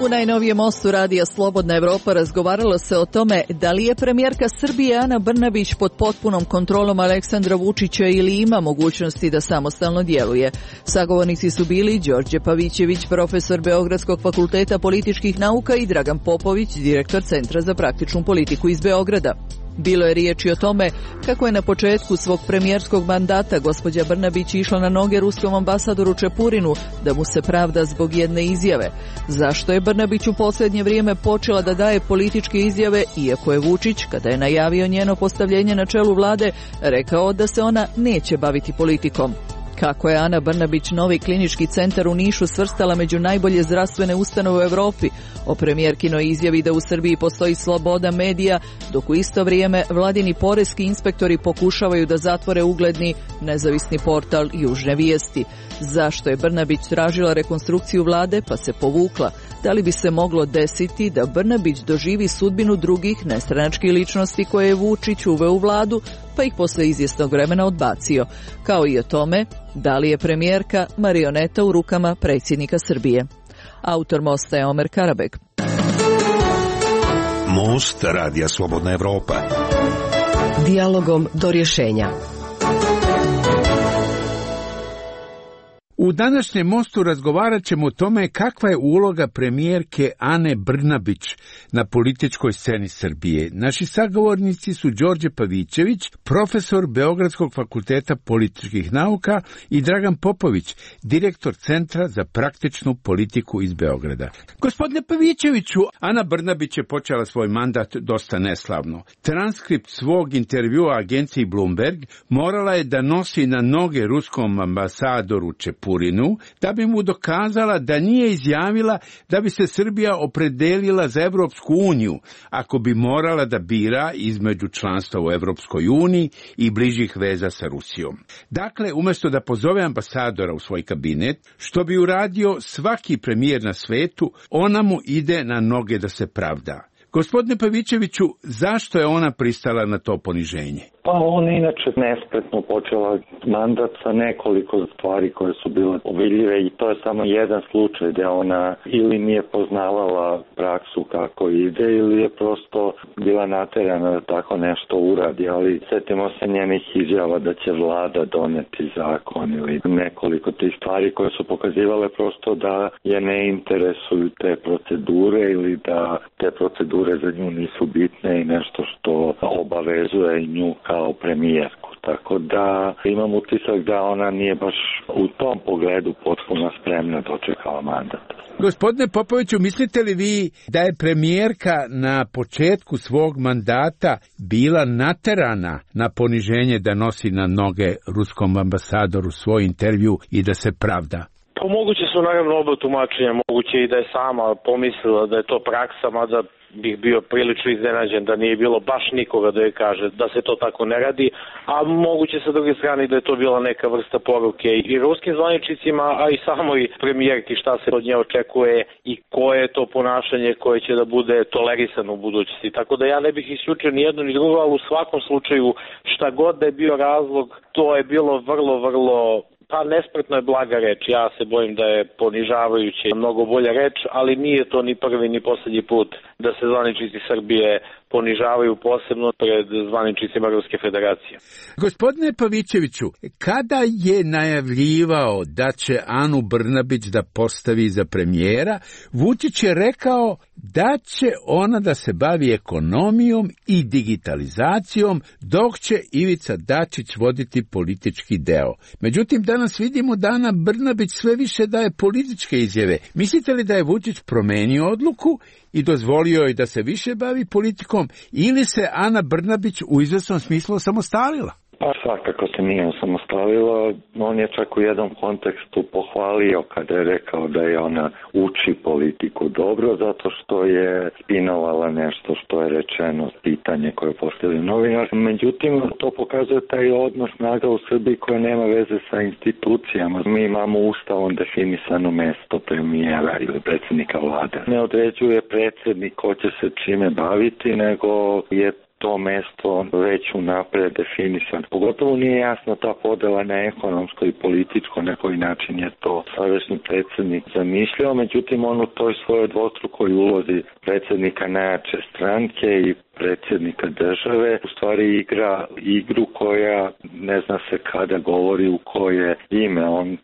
Speaker 3: U najnovijem mostu Radija Slobodna Evropa razgovaralo se o tome da li je premijerka Srbije Ana Brnabić pod potpunom kontrolom Aleksandra Vučića ili ima mogućnosti da samostalno djeluje. Sagovornici su bili Đorđe Pavićević, profesor Beogradskog fakulteta političkih nauka, i Dragan Popović, direktor Centra za praktičnu politiku iz Beograda. Bilo je riječi o tome kako je na početku svog premijerskog mandata gospođa Brnabić išla na noge ruskom ambasadoru Čepurinu da mu se pravda zbog jedne izjave. Zašto je Brnabić u posljednje vrijeme počela da daje političke izjave, iako je Vučić, kada je najavio njeno postavljenje na čelu vlade, rekao da se ona neće baviti politikom? Kako je Ana Brnabić novi klinički centar u Nišu svrstala među najbolje zdravstvene ustanove u Europi, o premijerkinoj izjavi da u Srbiji postoji sloboda medija, dok u isto vrijeme vladini poreski inspektori pokušavaju da zatvore ugledni nezavisni portal Južne vijesti. Zašto je Brnabić tražila rekonstrukciju vlade pa se povukla? Da li bi se moglo desiti da Brnabić doživi sudbinu drugih nestranačkih ličnosti koje je Vučić uveo u vladu, pa ih posle izvjesnog vremena odbacio? Kao i o tome, da li je premijerka marioneta u rukama predsjednika Srbije? Autor mosta je Omer Karabek.
Speaker 2: Most Radija Slobodna Evropa.
Speaker 22: Dijalogom do rješenja.
Speaker 8: U današnjem mostu razgovarat ćemo o tome kakva je uloga premijerke Ane Brnabić na političkoj sceni Srbije. Naši sagovornici su Đorđe Pavićević, profesor Beogradskog fakulteta političkih nauka, i Dragan Popović, direktor Centra za praktičnu politiku iz Beograda. Gospodine Pavićeviću, Ana Brnabić je počela svoj mandat dosta neslavno. Transkript svog intervjua agenciji Bloomberg morala je da nosi na noge ruskom ambasadoru Čepurinu da bi mu dokazala da nije izjavila da bi se Srbija opredelila za Evropsku uniju ako bi morala da bira između članstva u Evropskoj uniji i bližih veza sa Rusijom. Dakle, umjesto da pozove ambasadora u svoj kabinet, što bi uradio svaki premijer na svetu, ona mu ide na noge da se pravda. Gospodine Pavićeviću, zašto je ona pristala na to poniženje?
Speaker 10: Pa ona inače nespretno počela mandat sa nekoliko stvari koje su bile vidljive i to je samo jedan slučaj gdje ona ili nije poznavala praksu kako ide ili je prosto bila naterana da tako nešto uradi, ali setimo se njenih izjava da će vlada doneti zakon ili nekoliko tih stvari koje su pokazivale prosto da je ne interesuju te procedure ili da te procedure za nju nisu bitne i nešto što obavezuje nju kao premijerku. Tako da imam utisak da ona nije baš u tom pogledu potpuno spremna dočekala mandat.
Speaker 8: Gospodine Popoviću, mislite li vi da je premijerka na početku svog mandata bila naterana na poniženje da nosi na noge ruskom ambasadoru svoj intervju i da se pravda?
Speaker 11: Pa moguće su naravno oba tumačenja, moguće i da je sama pomislila da je to praksa, mada bih bio prilično iznenađen da nije bilo baš nikoga da joj kaže da se to tako ne radi, a moguće sa druge strane da je to bila neka vrsta poruke i ruskim zvaničnicima, a i samoj premijerki šta se od nje očekuje i koje je to ponašanje koje će da bude tolerisano u budućnosti. Tako da ja ne bih isključio ni jedno ni drugo, ali u svakom slučaju šta god da je bio razlog, to je bilo vrlo Pa nespretno je blaga reč, ja se bojim da je ponižavajuće mnogo bolja reč, ali nije to ni prvi ni poslednji put da se zvaničnici Srbije ponižavaju posebno pred zvaničnicima Ruske federacije.
Speaker 8: Gospodine Pavićeviću, kada je najavljivao da će Anu Brnabić da postavi za premijera, Vučić je rekao da će ona da se bavi ekonomijom i digitalizacijom, dok će Ivica Dačić voditi politički deo. Međutim, danas vidimo da Ana Brnabić sve više daje političke izjave. Mislite li da je Vučić promenio odluku i dozvolio je da se više bavi politikom, ili se Ana Brnabić u izvesnom smislu osamostalila?
Speaker 10: Pa svakako se nije osamostalila, on je čak u jednom kontekstu pohvalio kada je rekao da je ona uči politiku dobro, zato što je spinovala nešto što je rečeno, pitanje koje je postavio novinar. Međutim, to pokazuje taj odnos snaga u Srbiji koja nema veze sa institucijama. Mi imamo ustavom definisano mesto premijera ili predsjednika vlade. Ne određuje predsjednik ko će se čime baviti, nego je to mesto već unapred definisano. Pogotovo nije jasna ta podela na ekonomsko i političko, na koji način je to sadašnji predsjednik zamišljao. Međutim, on u toj svojoj dvostrukoj ulozi predsjednika najjače stranke i predsjednika države u stvari igra igru koja ne zna se kada govori u koje ime. On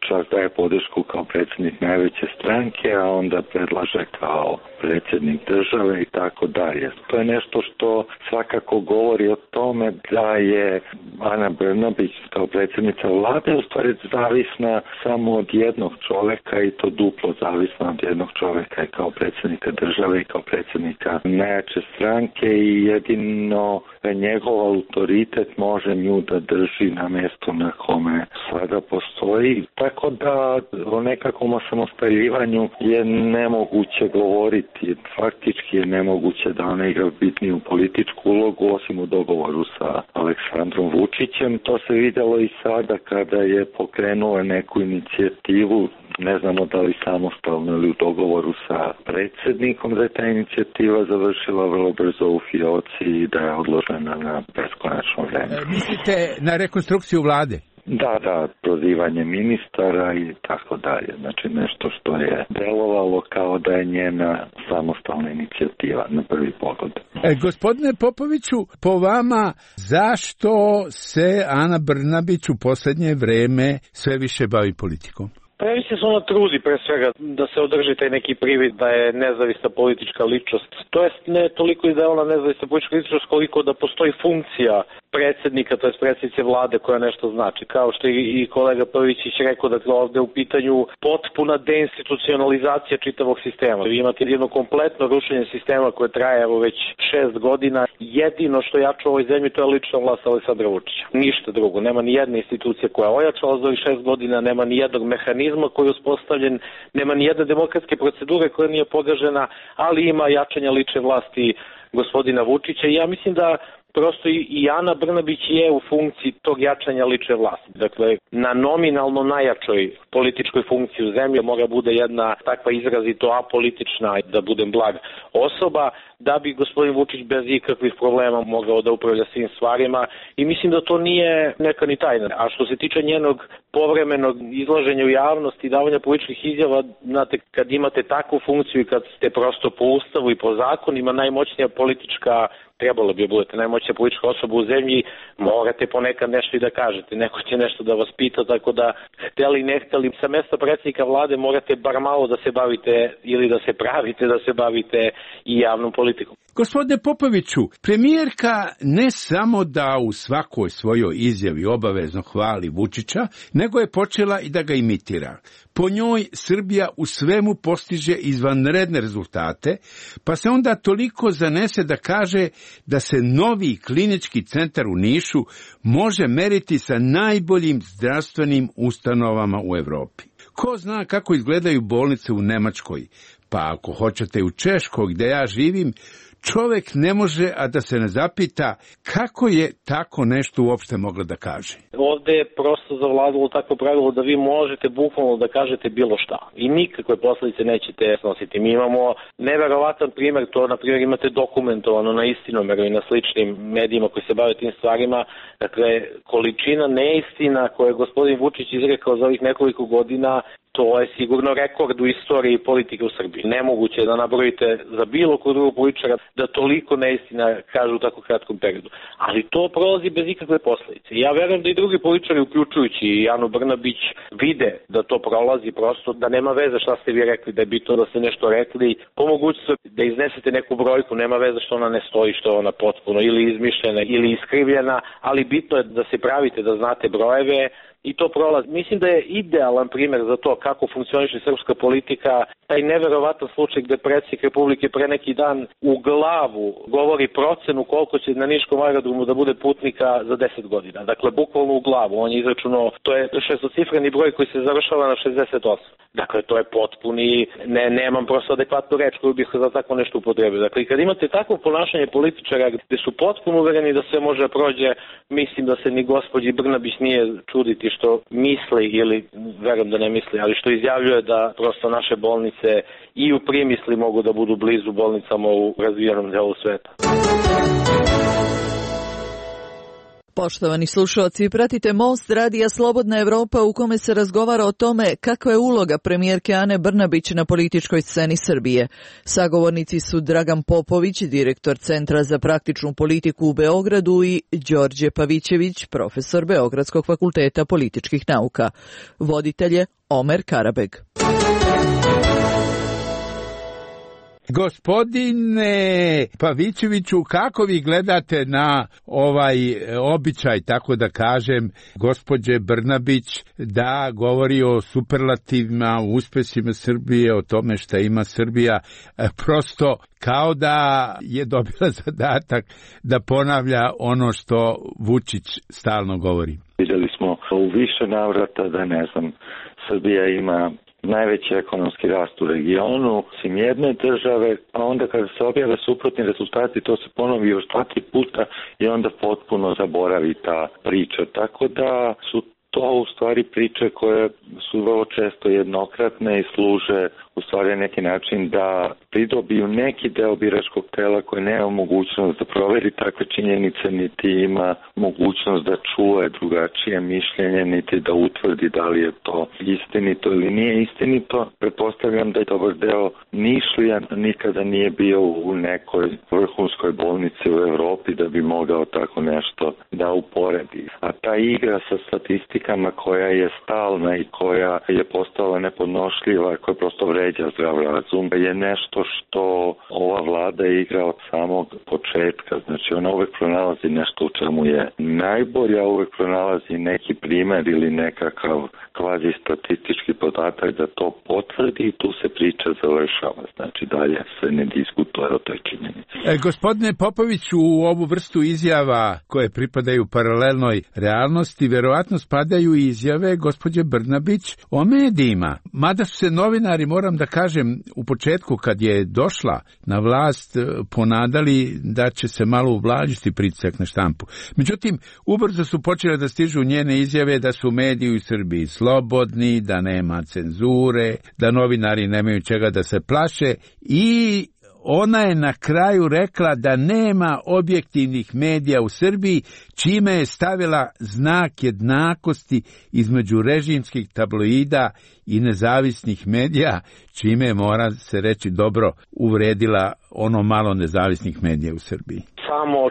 Speaker 10: čas daje podršku kao predsjednik najveće stranke, a onda predlaže kao predsjednik države i tako dalje. To je nešto što svakako govori o tome da je Ana Brnabić kao predsjednica vlade u stvari zavisna samo od jednog čovjeka, i to duplo zavisna od jednog čovjeka i kao predsjednika države i kao predsjednika najjače stranke, i jedino njegov autoritet može nju da drži na mjestu na kome sada postoji. Tako da o nekakvom osamostaljivanju je nemoguće govoriti. Faktički je nemoguće da ona igra bitniju političku ulogu, osim u dogovoru sa Aleksandrom Vučićem. To se vidjelo i sada kada je pokrenula neku inicijativu, ne znamo da li samostalno ili u dogovoru sa predsjednikom, da je ta inicijativa završila vrlo brzo u fioci i da je odložena na beskonačno vreme.
Speaker 8: Mislite na rekonstrukciju vlade?
Speaker 10: Da, prozivanje ministara i tako dalje. Znači nešto što je delovalo kao da je njena samostalna inicijativa na prvi pogled.
Speaker 8: Gospodine Popoviću, po vama zašto se Ana Brnabić u posljednje vreme sve više bavi politikom?
Speaker 11: Pa ja mislim da se ona trudi pre svega da se održi taj neki privid da je nezavisna politička ličnost. To jest ne toliko i da je ona nezavisna politička ličnost koliko da postoji funkcija predsjednika, to jest predsjednice vlade koja nešto znači. Kao što je i kolega Pavićić rekao, dakle ovdje u pitanju potpuna deinstitucionalizacija čitavog sistema. Vi imate jedno kompletno rušenje sistema koje traje evo već 6 godina. Jedino što jača u ovoj zemlji to je lična vlast Aleksandra Vučića. Ništa drugo. Nema ni jedne institucije koja je ojačala za ovih 6 godina, nema ni jednog mehanizma koji je uspostavljen, nema ni jedne demokratske procedure koja nije pogažena, ali ima jačanja lične vlasti gospodina Vučića. I ja mislim da prosto i Ana Brnabić je u funkciji tog jačanja lične vlasti. Dakle, na nominalno najjačoj političkoj funkciji u zemlji mora bude jedna takva izrazito apolitična, da budem blag, osoba, da bi gospodin Vučić bez ikakvih problema mogao da upravlja svim stvarima, i mislim da to nije neka ni tajna. A što se tiče njenog povremenog izlaženja u javnosti i davanja političkih izjava, znate, kad imate takvu funkciju i kad ste prosto po ustavu i po zakonima najmoćnija politička, trebalo bi budete najmoćnija politička osoba u zemlji, morate ponekad nešto i da kažete, neko će nešto da vas pita, tako da hteli ne hteli sa mesta predsjednika vlade morate bar malo da se bavite ili da se pravite da se bavite i javnom politikom.
Speaker 8: Gospodine Popoviću, premijerka ne samo da u svakoj svojoj izjavi obavezno hvali Vučića, nego je počela i da ga imitira. Po njoj Srbija u svemu postiže izvanredne rezultate, pa se onda toliko zanese da kaže da se novi klinički centar u Nišu može meriti sa najboljim zdravstvenim ustanovama u Evropi. Ko zna kako izgledaju bolnice u Nemačkoj, pa ako hoćete u Češkoj gdje ja živim, čovek ne može, a da se ne zapita kako je tako nešto uopšte mogla da kaže.
Speaker 11: Ovde je prosto zavladalo takvo pravilo da vi možete bukvalno da kažete bilo šta i nikakve posledice nećete snositi. Mi imamo neverovatan primer, to na primjer imate dokumentovano na Istinomeru i na sličnim medijima koji se bave tim stvarima. Dakle, količina neistina koje je gospodin Vučić izrekao za ovih nekoliko godina, to je sigurno rekord u istoriji politike u Srbiji. Nemoguće je da nabrojite za bilo kod drugog političara da toliko neistina kažu u tako kratkom periodu. Ali to prolazi bez ikakve posledice. Ja verujem da i drugi političari, uključujući i Anu Brnabić, vide da to prolazi, prosto da nema veze šta ste vi rekli, da je bitno da ste nešto rekli. Po mogućnosti da iznesete neku brojku, nema veze što ona ne stoji, što je ona potpuno ili izmišljena ili iskrivljena, ali bitno je da se pravite da znate brojeve. I to prolazi. Mislim da je idealan primjer za to kako funkcioniše srpska politika, taj neverovatan slučaj gde predsjednik Republike pre neki dan u glavu govori procenu koliko će na Niškom aerodromu da bude putnika za 10 godina. Dakle, bukvalno u glavu. On je izračunao, to je šestocifreni broj koji se završava na 68. Dakle, to je potpuni, nemam prosto adekvatnu reč koju bih za tako nešto upotrebio. Dakle, kad imate takvo ponašanje političara gde su potpuno uvereni da sve može da prođe, mislim da se ni gospođi Brnabić nije čuditi što misli ili verujem da ne misli, ali što izjavljuje da prosto naše bolnice i u primisli mogu da budu blizu bolnicama u razvijenom delu sveta.
Speaker 3: Poštovani slušalci, pratite Most radija Slobodna Evropa u kome se razgovara o tome kakva je uloga premijerke Ane Brnabić na političkoj sceni Srbije. Sagovornici su Dragan Popović, direktor Centra za praktičnu politiku u Beogradu i Đorđe Pavićević, profesor Beogradskog fakulteta političkih nauka. Voditelj je Omer Karabeg.
Speaker 8: Gospodine Pavićeviću, kako vi gledate na ovaj običaj, tako da kažem, gospođe Brnabić da govori o superlativima, o uspesima Srbije, o tome šta ima Srbija, prosto kao da je dobila zadatak da ponavlja ono što Vučić stalno govori?
Speaker 10: Vidjeli smo u više navrata da, Srbija ima najveći ekonomski rast u regionu, osim jedne države, a onda kada se objave suprotni rezultati, to se ponovi još 2-3 puta i onda potpuno zaboravi ta priča. Tako da su to u stvari priče koje su vrlo često jednokratne i služe u stvari na neki način da pridobiju neki deo biračkog tela koji nema mogućnost da proveri takve činjenice, niti ima mogućnost da čuje drugačije mišljenje, niti da utvrdi da li je to istinito ili nije istinito. Pretpostavljam da je dobar deo Nišlija nikada nije bio u nekoj vrhunskoj bolnici u Evropi da bi mogao tako nešto da uporedi. A ta igra sa statistikama koja je stalna i koja je postala nepodnošljiva, koja prosto vređa zdrav razum, je nešto što ova vlada igra od samog početka. Znači ona uvek pronalazi nešto u čemu je najbolja, uvek pronalazi neki primer ili nekakav kvazi statistički podatak da to potvrdi i tu se priča završava. Znači dalje se ne diskutuje o toj činjenici.
Speaker 8: Gospodine Popoviću, u ovu vrstu izjava koje pripadaju paralelnoj realnosti, verovatno spadaju i izjave gospođe Brnabić o medijima. Mada su se novinari, moram da kažem, u početku kad je došla na vlast ponadali da će se malo ublažiti pritisak na štampu. Međutim, ubrzo su počele da stižu njene izjave da su mediji u Srbiji slobodni, da nema cenzure, da novinari nemaju čega da se plaše i ona je na kraju rekla da nema objektivnih medija u Srbiji, čime je stavila znak jednakosti između režimskih tabloida i nezavisnih medija, čime mora se reći dobro uvredila ono malo nezavisnih medija u Srbiji.
Speaker 11: Samo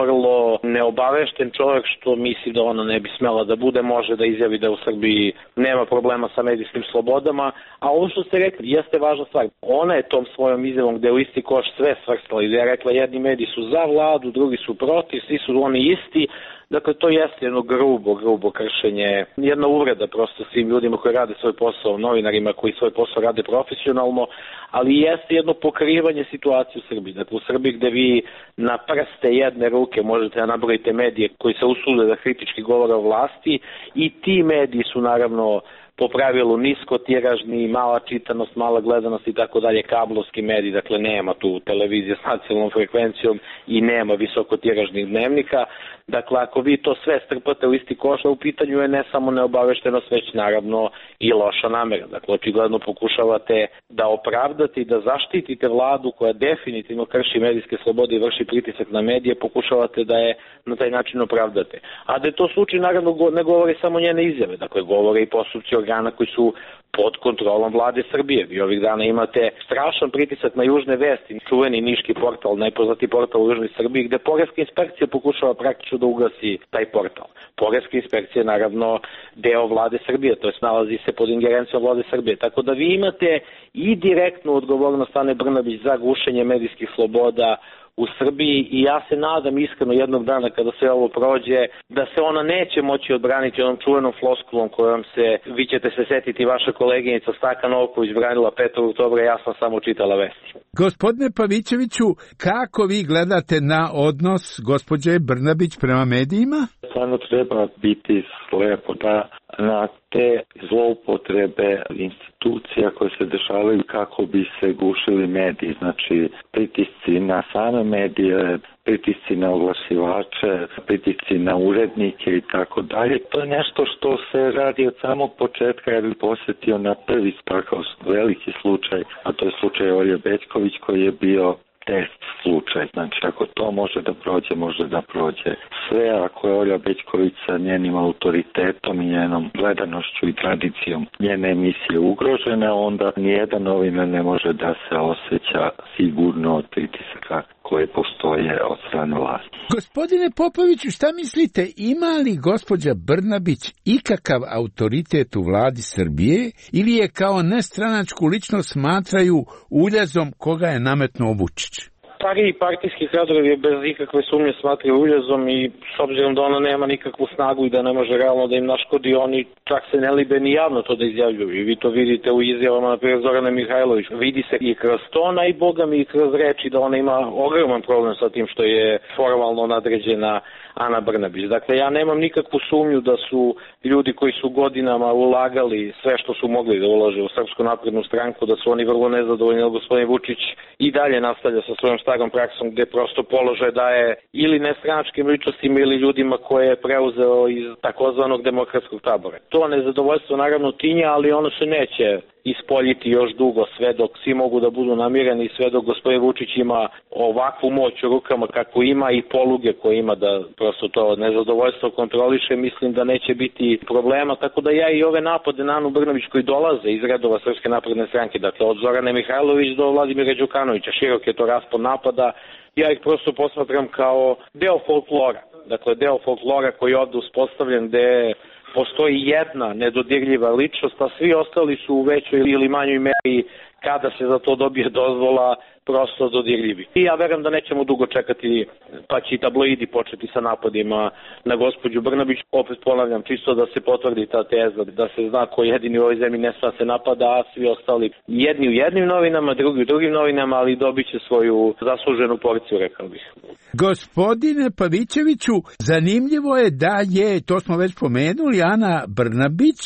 Speaker 11: vrlo neobavešten čovjek što misli da ona ne bi smela da bude, može da izjavi da u Srbiji nema problema sa medijskim slobodama, a ovo što ste rekli jeste važna stvar. Ona je tom svojom izjavom gde u isti koš sve svrstala i da je rekla jedni mediji su za vladu, drugi su protiv, svi su oni isti. Dakle, to jeste jedno grubo kršenje, jedna uvreda prosto svim ljudima koji rade svoj posao, novinarima koji svoj posao rade profesionalno, ali jeste jedno pokrivanje situacije u Srbiji. Dakle, u Srbiji gde vi na prste jedne ruke možete da nabrojite medije koji se usude da kritički govore o vlasti i ti mediji su naravno po pravilu niskotiražni, mala čitanost, mala gledanost i tako dalje, kablovski mediji, dakle nema tu televizije s nacionalnom frekvencijom i nema visokotiražnih dnevnika. Dakle, ako vi to sve strpate u isti koš, u pitanju je ne samo neobaveštenost, već naravno i loša namera. Dakle, očigledno pokušavate da opravdate i da zaštitite vladu koja definitivno krši medijske slobode i vrši pritisak na medije, pokušavate da je na taj način opravdate. A da je to slučaj, naravno, ne govori samo njene izjave, dakle, govore i postupci organa koji su pod kontrolom vlade Srbije. Vi ovih dana imate strašan pritisak na Južne vesti, čuveni niški portal, najpoznatiji portal u Južnoj Srbiji, gde poreska inspekcija pokušava praktično da ugasi taj portal. Poreska inspekcija je naravno deo vlade Srbije, to je nalazi se pod ingerencijom vlade Srbije. Tako da vi imate i direktnu odgovornost Ane Brnabić za gušenje medijskih sloboda u Srbiji i ja se nadam iskreno jednog dana kada sve ovo prođe da se ona neće moći odbraniti onom čuvenom floskulom kojom se, vi ćete se setiti, vaša koleginica Staka Novković branila 5. oktobra, ja sam samo čitala vesti.
Speaker 8: Gospodine Pavićeviću, kako vi gledate na odnos gospođe Brnabić prema medijima?
Speaker 10: Stvarno treba biti slepo da na te zloupotrebe institucija koje se dešavaju kako bi se gušili mediji, znači pritisci na same medije, pritisci na oglasivače, pritisci na urednike i tako dalje. To je nešto što se radi od samog početka. Ja bih posjetio na prvi takav veliki slučaj, a to je slučaj Olje Bećković koji je bio test slučaj. Znači, ako to može da prođe, može da prođe sve. Ako je Olja Bećković sa njenim autoritetom i njenom gledanošću i tradicijom njene emisije ugrožena, onda nijedan novinar ne može da se osjeća sigurno od pritisaka koje postoje od strane vlasti.
Speaker 8: Gospodine Popoviću, šta mislite, ima li gospođa Brnabić ikakav autoritet u vladi Srbije ili je kao nestranačku ličnost smatraju uljezom koga je nametnuo Vučić?
Speaker 11: Stariji partijski kadrovi bez ikakve sumnje smatraju uljezom i s obzirom da ona nema nikakvu snagu i da ne može realno da im naškodi, oni čak se ne libe ni javno to da izjavljuju. I vi to vidite u izjavama, na primjer, Zorane Mihajlović. Vidi se i kroz tona i boga mi i kroz reči da ona ima ogroman problem sa tim što je formalno nadređena Ana Brnabić. Dakle, ja nemam nikakvu sumnju da su ljudi koji su godinama ulagali sve što su mogli da ulože u Srpsku naprednu stranku, da su oni vrlo nezadovoljni, ali gospodin Vučić i dalje nastavlja sa svojom starom praksom gde prosto položaj daje ili nestranačkim ličnostima ili ljudima koje je preuzeo iz takozvanog demokratskog tabora. To nezadovoljstvo naravno tinja, ali ono se neće ispoljiti još dugo, sve dok svi mogu da budu namireni i sve dok gospodin Vučić ima ovakvu moć u rukama kako ima i poluge koje ima da prosto to nezadovoljstvo kontroliše, mislim da neće biti problema, tako da ja i ove napade na Anu Brnabić koji dolaze iz redova Srpske napredne stranke, dakle od Zorane Mihajlović do Vladimira Đukanovića, širok je to raspon napada, ja ih prosto posmatram kao deo folklora, dakle deo folklora koji je ovde uspostavljen gde postoji jedna nedodirljiva ličnost, a svi ostali su u većoj ili manjoj meri kada se za to dobije dozvola prosto dodirljivi. I ja verujem da nećemo dugo čekati, pa će i tabloidi početi sa napadima na gospođu Brnabić. Opet ponavljam, čisto da se potvrdi ta teza, da se zna ko jedini u ovoj zemlji ne sme se napada, a svi ostali jedni u jednim novinama, drugi u drugim novinama, ali dobit će svoju zasluženu porciju, rekao bih.
Speaker 8: Gospodine Pavićeviću, zanimljivo je da je, to smo već pomenuli, Ana Brnabić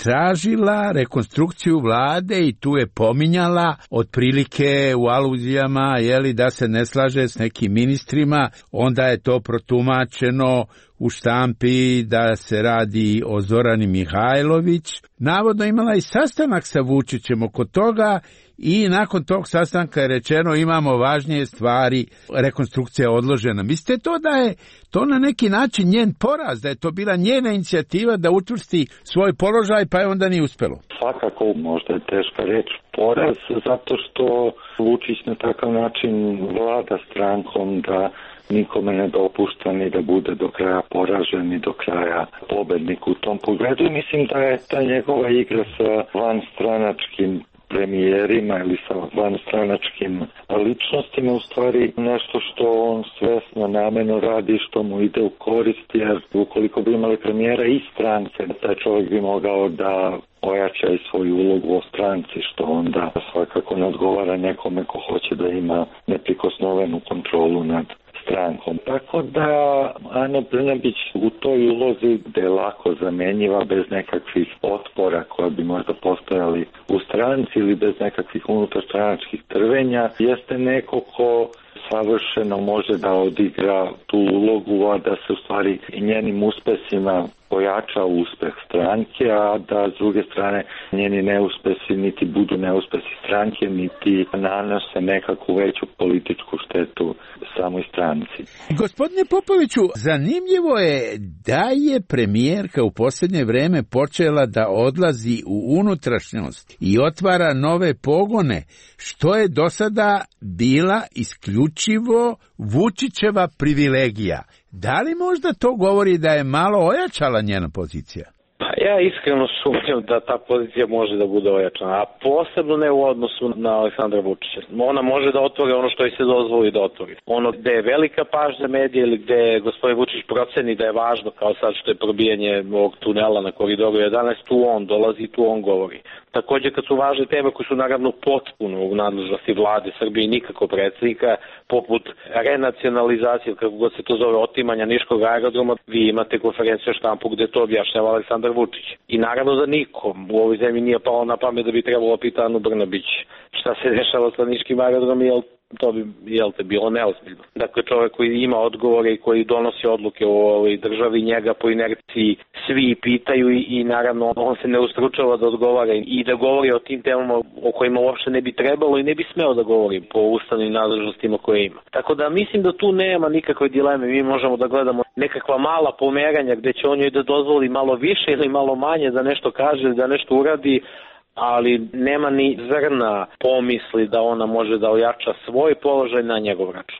Speaker 8: tražila rekonstrukciju vlade i tu je pominjala otprilike u aluzijama da se ne slaže s nekim ministrima, onda je to protumačeno u štampi da se radi o Zorani Mihajlović. Navodno imala i sastanak sa Vučićem oko toga i nakon tog sastanka je rečeno imamo važnije stvari, rekonstrukcija je odložena. Mislite to da je to na neki način njen poraz, da je to bila njena inicijativa da učvrsti svoj položaj, pa je onda nije uspelo?
Speaker 10: Svakako, možda je teška reč poraz, zato što Vučić na takav način vlada strankom da nikome ne dopušta ni da bude do kraja poražen, ni do kraja pobednik u tom pogledu. Mislim da je ta njegova igra sa vanstranačkim premijerima ili sa vanstranačkim ličnostima u stvari nešto što on svesno namerno radi, što mu ide u korist, jer ukoliko bi imali premijera i strance, taj čovjek bi mogao da ojača i svoju ulogu o stranci, što onda svakako ne odgovara nekome ko hoće da ima neprikosnovenu kontrolu nad strankom. Tako da Ana Brnabić u toj ulozi gde je lako zamenjiva bez nekakvih otpora koje bi možda postojali u stranci ili bez nekakvih unutarstranačkih trvenja, jeste neko ko savršeno može da odigra tu ulogu, a da se u stvari njenim uspesima pojača uspeh stranke, a da s druge strane njeni neuspesi niti budu neuspesi stranke, niti nanose nekakvu veću političku štetu samoj stranci.
Speaker 8: Gospodine Popoviću, zanimljivo je da je premijerka u posljednje vreme počela da odlazi u unutrašnjost i otvara nove pogone, što je do sada bila isključivo Vučićeva privilegija. Da li možda to govori da je malo ojačala njena pozicija?
Speaker 11: Pa ja iskreno sumnjam da ta pozicija može da bude ojačana, a posebno ne u odnosu na Aleksandra Vučića. Ona može da otvori ono što joj se dozvoli da otvori. Ono gde je velika pažnja medija ili gde gospodin Vučić proceni da je važno, kao sad što je probijanje ovog tunela na Koridoru 11, tu on dolazi i tu on govori. Takođe, kad su važne teme koje su naravno potpuno u nadležnosti vlade Srbije i nikako predsjednika, poput renacionalizacije, kako god se to zove, otimanja niškog aerodroma, vi imate konferenciju štampu gde to objašnjava Aleksandar Vučić. I naravno da nikom u ovoj zemlji nije palo na pamet da bi trebalo pitati Anu Brnabić šta se dešava sa niškim aerodromom, jer to bi bilo neozbiljno. Dakle, čovjek koji ima odgovore i koji donosi odluke u ovoj državi, njega po inerciji svi pitaju i naravno on se ne ustručava da odgovara i da govori o tim temama o kojima uopšte ne bi trebalo i ne bi smeo da govori po ustavnim nadležnostima koje ima. Tako da mislim da tu nema nikakve dileme. Mi možemo da gledamo nekakva mala pomeranja gde će on joj da dozvoli malo više ili malo manje da nešto kaže, da nešto uradi, ali nema ni zrna pomisli da ona može da ojača svoj položaj na njegov račun.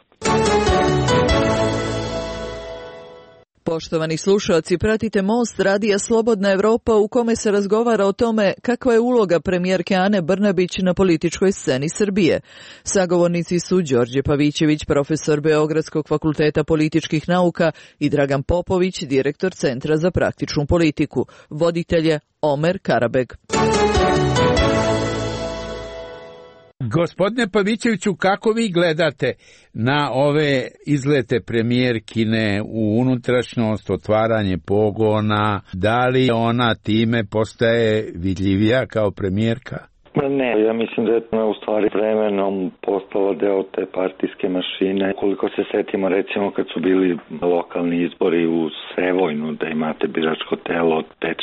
Speaker 3: Poštovani slušalci, pratite Most radija Slobodna Evropa u kome se razgovara o tome kakva je uloga premijerke Ane Brnabić na političkoj sceni Srbije. Sagovornici su Đorđe Pavićević, profesor Beogradskog fakulteta političkih nauka i Dragan Popović, direktor Centra za praktičnu politiku. Voditelj je Omer Karabeg.
Speaker 8: Gospodine Pavićeviću, kako vi gledate na ove izlete premijerkine u unutrašnjost, otvaranje pogona, da li ona time postaje vidljivija kao premijerka?
Speaker 10: Ne, ja mislim da je u stvari vremenom postala deo te partijske mašine. Koliko se setimo, recimo kad su bili lokalni izbori u Sevojnu, da imate biračko telo od 5-6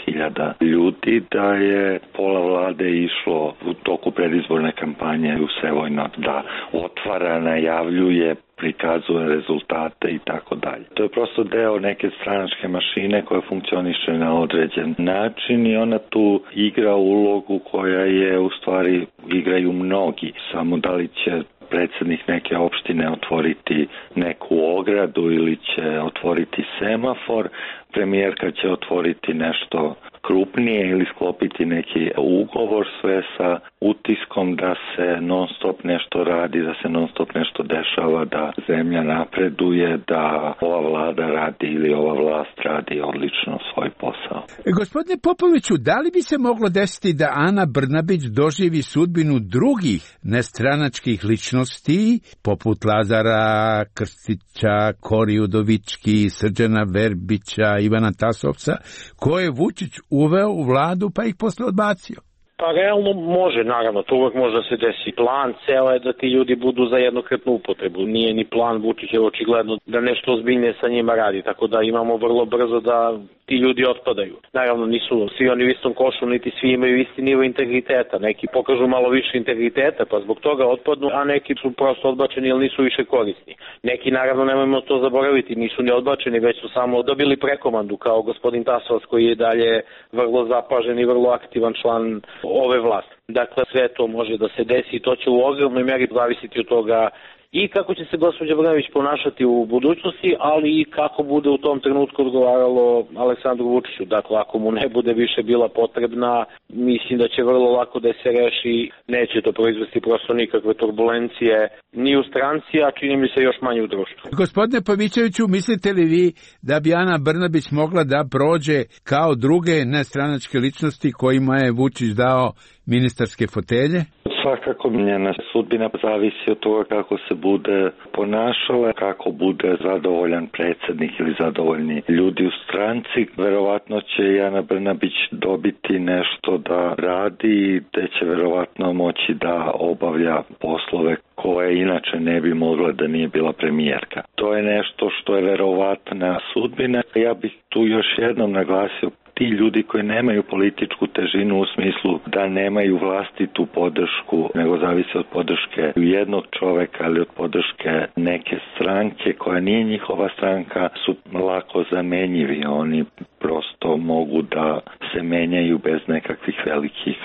Speaker 10: hiljada ljudi, da je pola vlade išlo u toku predizborne kampanje u Sevojnu da otvara, najavljuje, prikazuje rezultate i tako dalje. To je prosto deo neke stranačke mašine koja funkcioniše na određen način i ona tu igra ulogu koja je u stvari igraju mnogi. Samo da li će predsjednik neke opštine otvoriti neku ogradu ili će otvoriti semafor, premijerka će otvoriti nešto krupnije ili sklopiti neki ugovor, sve sa utiskom da se non stop nešto radi, da se non stop nešto dešava, da zemlja napreduje, da ova vlada radi ili ova vlast radi odlično svoj posao.
Speaker 8: Gospodine Popoviću, da li bi se moglo desiti da Ana Brnabić doživi sudbinu drugih nestranačkih ličnosti, poput Lazara Krstića, Kori Udovički, Srđana Verbića, Ivana Tasovca, koje Vučić uveo u vladu pa ih posle odbacio?
Speaker 11: Pa realno može, naravno, to uvek može da se desi. Plan ceo je da ti ljudi budu za jednokratnu upotrebu. Nije ni plan Vučića očigledno da nešto ozbiljnije sa njima radi, tako da imamo vrlo brzo da ti ljudi otpadaju. Naravno, nisu svi oni u istom košu, niti svi imaju isti nivo integriteta. Neki pokažu malo više integriteta, pa zbog toga otpadnu, a neki su prosto odbačeni jer nisu više korisni. Neki, naravno, nemojmo to zaboraviti, nisu ni odbačeni, već su samo dobili prekomandu, kao gospodin Tasovac koji je dalje vrlo zapažen i vrlo aktivan član ove vlasti. Dakle, sve to može da se desi i to će u ogromnoj meri zavisiti od toga i kako će se gospođa Brnabić ponašati u budućnosti, ali i kako bude u tom trenutku odgovaralo Aleksandru Vučiću. Dakle, ako mu ne bude više bila potrebna, mislim da će vrlo lako da se reši, neće to proizvesti prosto nikakve turbulencije ni u stranci, a čini mi se još manje u društvu.
Speaker 8: Gospodine Pavićeviću, mislite li vi da bi Ana Brnabić mogla da prođe kao druge nestranačke ličnosti kojima je Vučić dao ministarske fotelje?
Speaker 10: Svakako njena sudbina zavisi od toga kako se bude ponašala, kako bude zadovoljan predsjednik ili zadovoljni ljudi u stranci. Verovatno će Ana Brnabić dobiti nešto da radi, te će verovatno moći da obavlja poslove koje inače ne bi mogla da nije bila premijerka. To je nešto što je verovatna sudbina. Ja bih tu još jednom naglasio, ti ljudi koji nemaju političku težinu u smislu da nemaju vlastitu podršku, nego zavise od podrške jednog čoveka ili od podrške neke stranke koja nije njihova stranka, su lako zamenjivi. Oni prosto mogu da se menjaju bez nekakvih velikih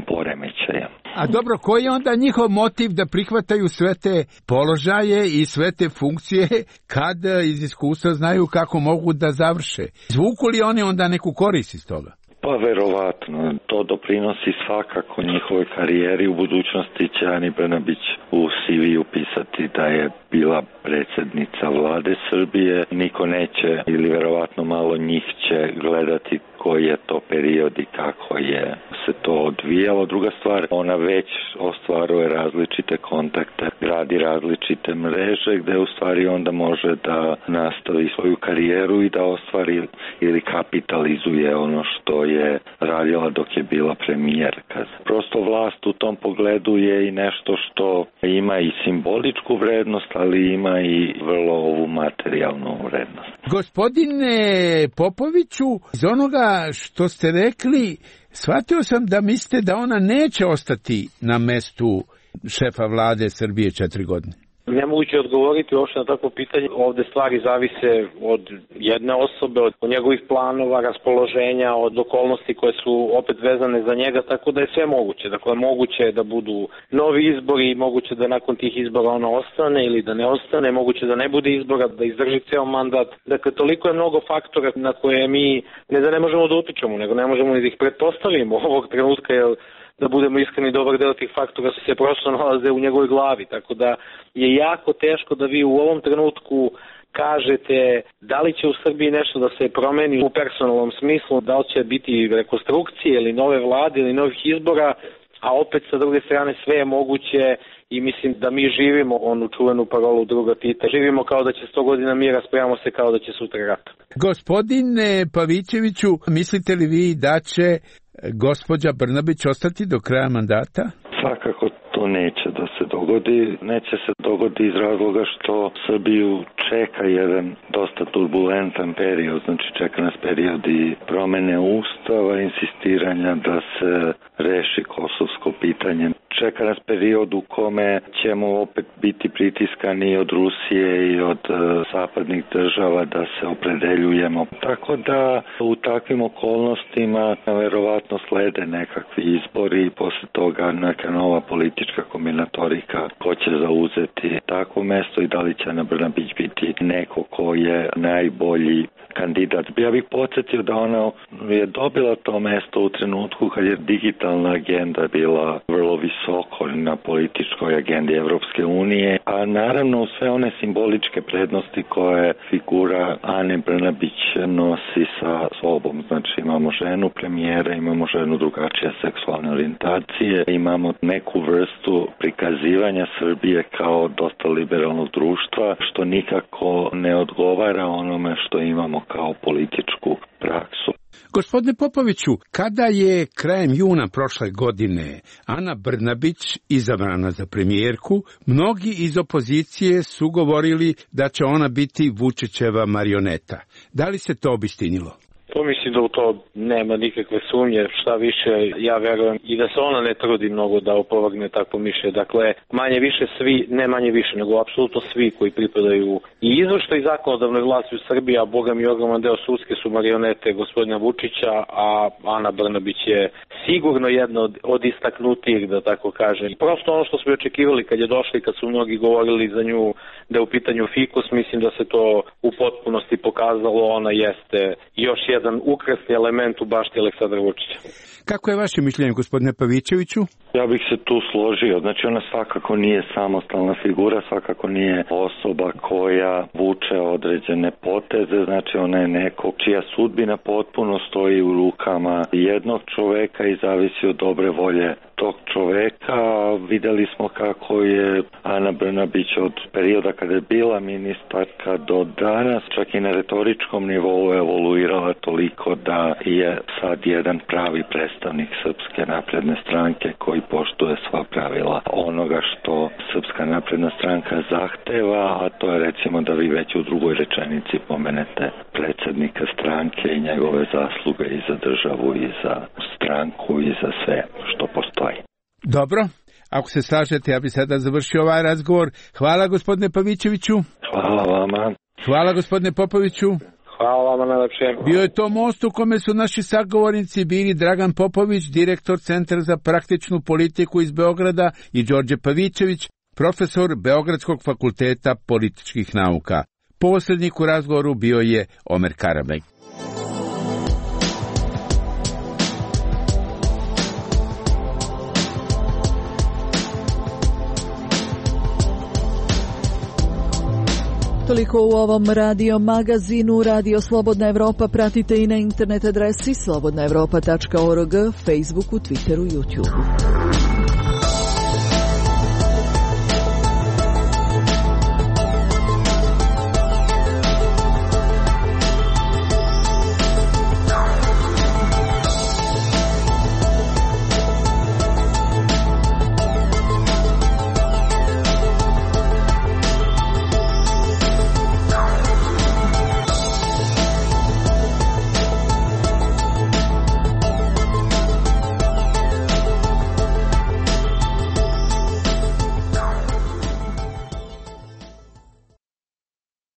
Speaker 10: poremećaja.
Speaker 8: A dobro, koji je onda njihov motiv da prihvataju sve te položaje i sve te funkcije kad iz iskustva znaju kako mogu da završe? Zvuku li oni onda neku korist iz toga?
Speaker 10: Pa verovatno. To doprinosi svakako njihovoj karijeri. U budućnosti će Ani Brnabić u CV upisati da je bila predsjednica vlade Srbije. Niko neće, ili verovatno malo njih će gledati koji je to period i kako je se to odvijalo. Druga stvar, ona već ostvaruje različite kontakte, gradi različite mreže gde u stvari onda može da nastavi svoju karijeru i da ostvari ili kapitalizuje ono što je radila dok je bila premijerka. Prosto vlast u tom pogledu je i nešto što ima i simboličku vrednost, ali ima i vrlo ovu materijalnu vrednost.
Speaker 8: Gospodine Popoviću, iz onoga što ste rekli, shvatio sam da mislite da ona neće ostati na mestu šefa vlade Srbije 4 godine.
Speaker 11: Nemoguće odgovoriti uopšte na takvo pitanje. Ovde stvari zavise od jedne osobe, od njegovih planova, raspoloženja, od okolnosti koje su opet vezane za njega, tako da je sve moguće. Dakle, moguće je da budu novi izbori, moguće da nakon tih izbora ona ostane ili da ne ostane, moguće da ne bude izbora, da izdrži ceo mandat. Dakle, toliko je mnogo faktora na koje mi ne da ne možemo da utičemo, nego ne možemo ni da ih pretpostavimo ovog trenutka, jer da budemo iskreni, dobar deo tih faktora se prosto nalaze u njegovoj glavi, tako da je jako teško da vi u ovom trenutku kažete da li će u Srbiji nešto da se promeni u personalnom smislu, da li će biti rekonstrukcije ili nove vlade ili novih izbora, a opet sa druge strane sve je moguće i mislim da mi živimo onu čuvenu parolu druga Tita. Živimo kao da će 100 godina mira, spremamo se kao da će sutra rat.
Speaker 8: Gospodine Pavićeviću, mislite li vi da će gospođa Brnabić ostati do kraja mandata?
Speaker 10: Svakako to neće da se dogodi. Neće se dogodi iz razloga što Srbiju čeka jedan dosta turbulentan period, znači čeka nas period i promene ustava, insistiranja da se reši kosovsko pitanje. Čeka nas period u kome ćemo opet biti pritiskani od Rusije i od zapadnih država da se opredeljujemo. Tako da u takvim okolnostima verovatno slede nekakvi izbori i posle toga neka nova politička kombinatorika ko će zauzeti takvo mesto i da li će Ana Brnabić biti neko ko je najbolji kandidat. Ja bih podsjetio da ona je dobila to mesto u trenutku kad je digitalna agenda bila vrlo visoko na političkoj agendi Evropske unije, a naravno u sve one simboličke prednosti koje figura Ane Brnabić nosi sa sobom. Znači imamo ženu premijera, imamo ženu drugačije seksualne orijentacije, imamo neku vrstu prikazivanja Srbije kao dosta liberalnog društva, što nikako ne odgovara onome što imamo kao političku praksu.
Speaker 8: Gospodine Popoviću, kada je krajem juna prošle godine Ana Brnabić izabrana za premijerku, mnogi iz opozicije su govorili da će ona biti Vučićeva marioneta. Da li se to obistinilo?
Speaker 11: To mislim da u to nema nikakve sumnje, šta više ja verujem i da se ona ne trudi mnogo da opovrgne takvo mišljenje. Dakle, manje više svi, ne manje više, nego apsolutno svi koji pripadaju i izvršnoj i zakonodavnoj vlasti u Srbiji, a boga mi ogroman deo sudske su marionete gospodina Vučića, a Ana Brnabić je sigurno jedna od istaknutijih, da tako kažem. Prosto ono što smo očekivali kad je došli, kad su mnogi govorili za nju da je u pitanju fikus, mislim da se to u potpunosti pokazalo, ona jeste još jedan ukrasni element u bašti Aleksandra Vučića.
Speaker 8: Kako je vaše mišljenje, gospodine Pavićeviću?
Speaker 10: Ja bih se tu složio. Znači ona svakako nije samostalna figura, svakako nije osoba koja vuče određene poteze, znači ona je neko čija sudbina potpuno stoji u rukama jednog čoveka i zavisi od dobre volje tog čoveka. Videli smo kako je Ana Brnabić od perioda kada je bila ministarka do danas, čak i na retoričkom nivou evoluirala toliko da je sad jedan pravi predstavnik Srpske napredne stranke koji poštuje sva pravila onoga što Srpska napredna stranka zahteva, a to je recimo da vi već u drugoj rečenici pomenete predsjednika stranke i njegove zasluge i za državu i za stranku i za sve što postoji.
Speaker 8: Dobro, ako se slažete, ja bih sada završio ovaj razgovor. Hvala gospodine Pavićeviću.
Speaker 10: Hvala vama.
Speaker 8: Hvala gospodine Popoviću.
Speaker 11: Hvala vama najlepše.
Speaker 8: Bio je to most u kome su naši sagovornici bili Dragan Popović, direktor Centra za praktičnu politiku iz Beograda, i Đorđe Pavićević, profesor Beogradskog fakulteta političkih nauka. Posrednik u razgovoru bio je Omer Karabek.
Speaker 3: Toliko u ovom radio magazinu. Radio Slobodna Evropa pratite i na internet adresi slobodnaevropa.org, Facebooku, Twitteru, YouTubeu.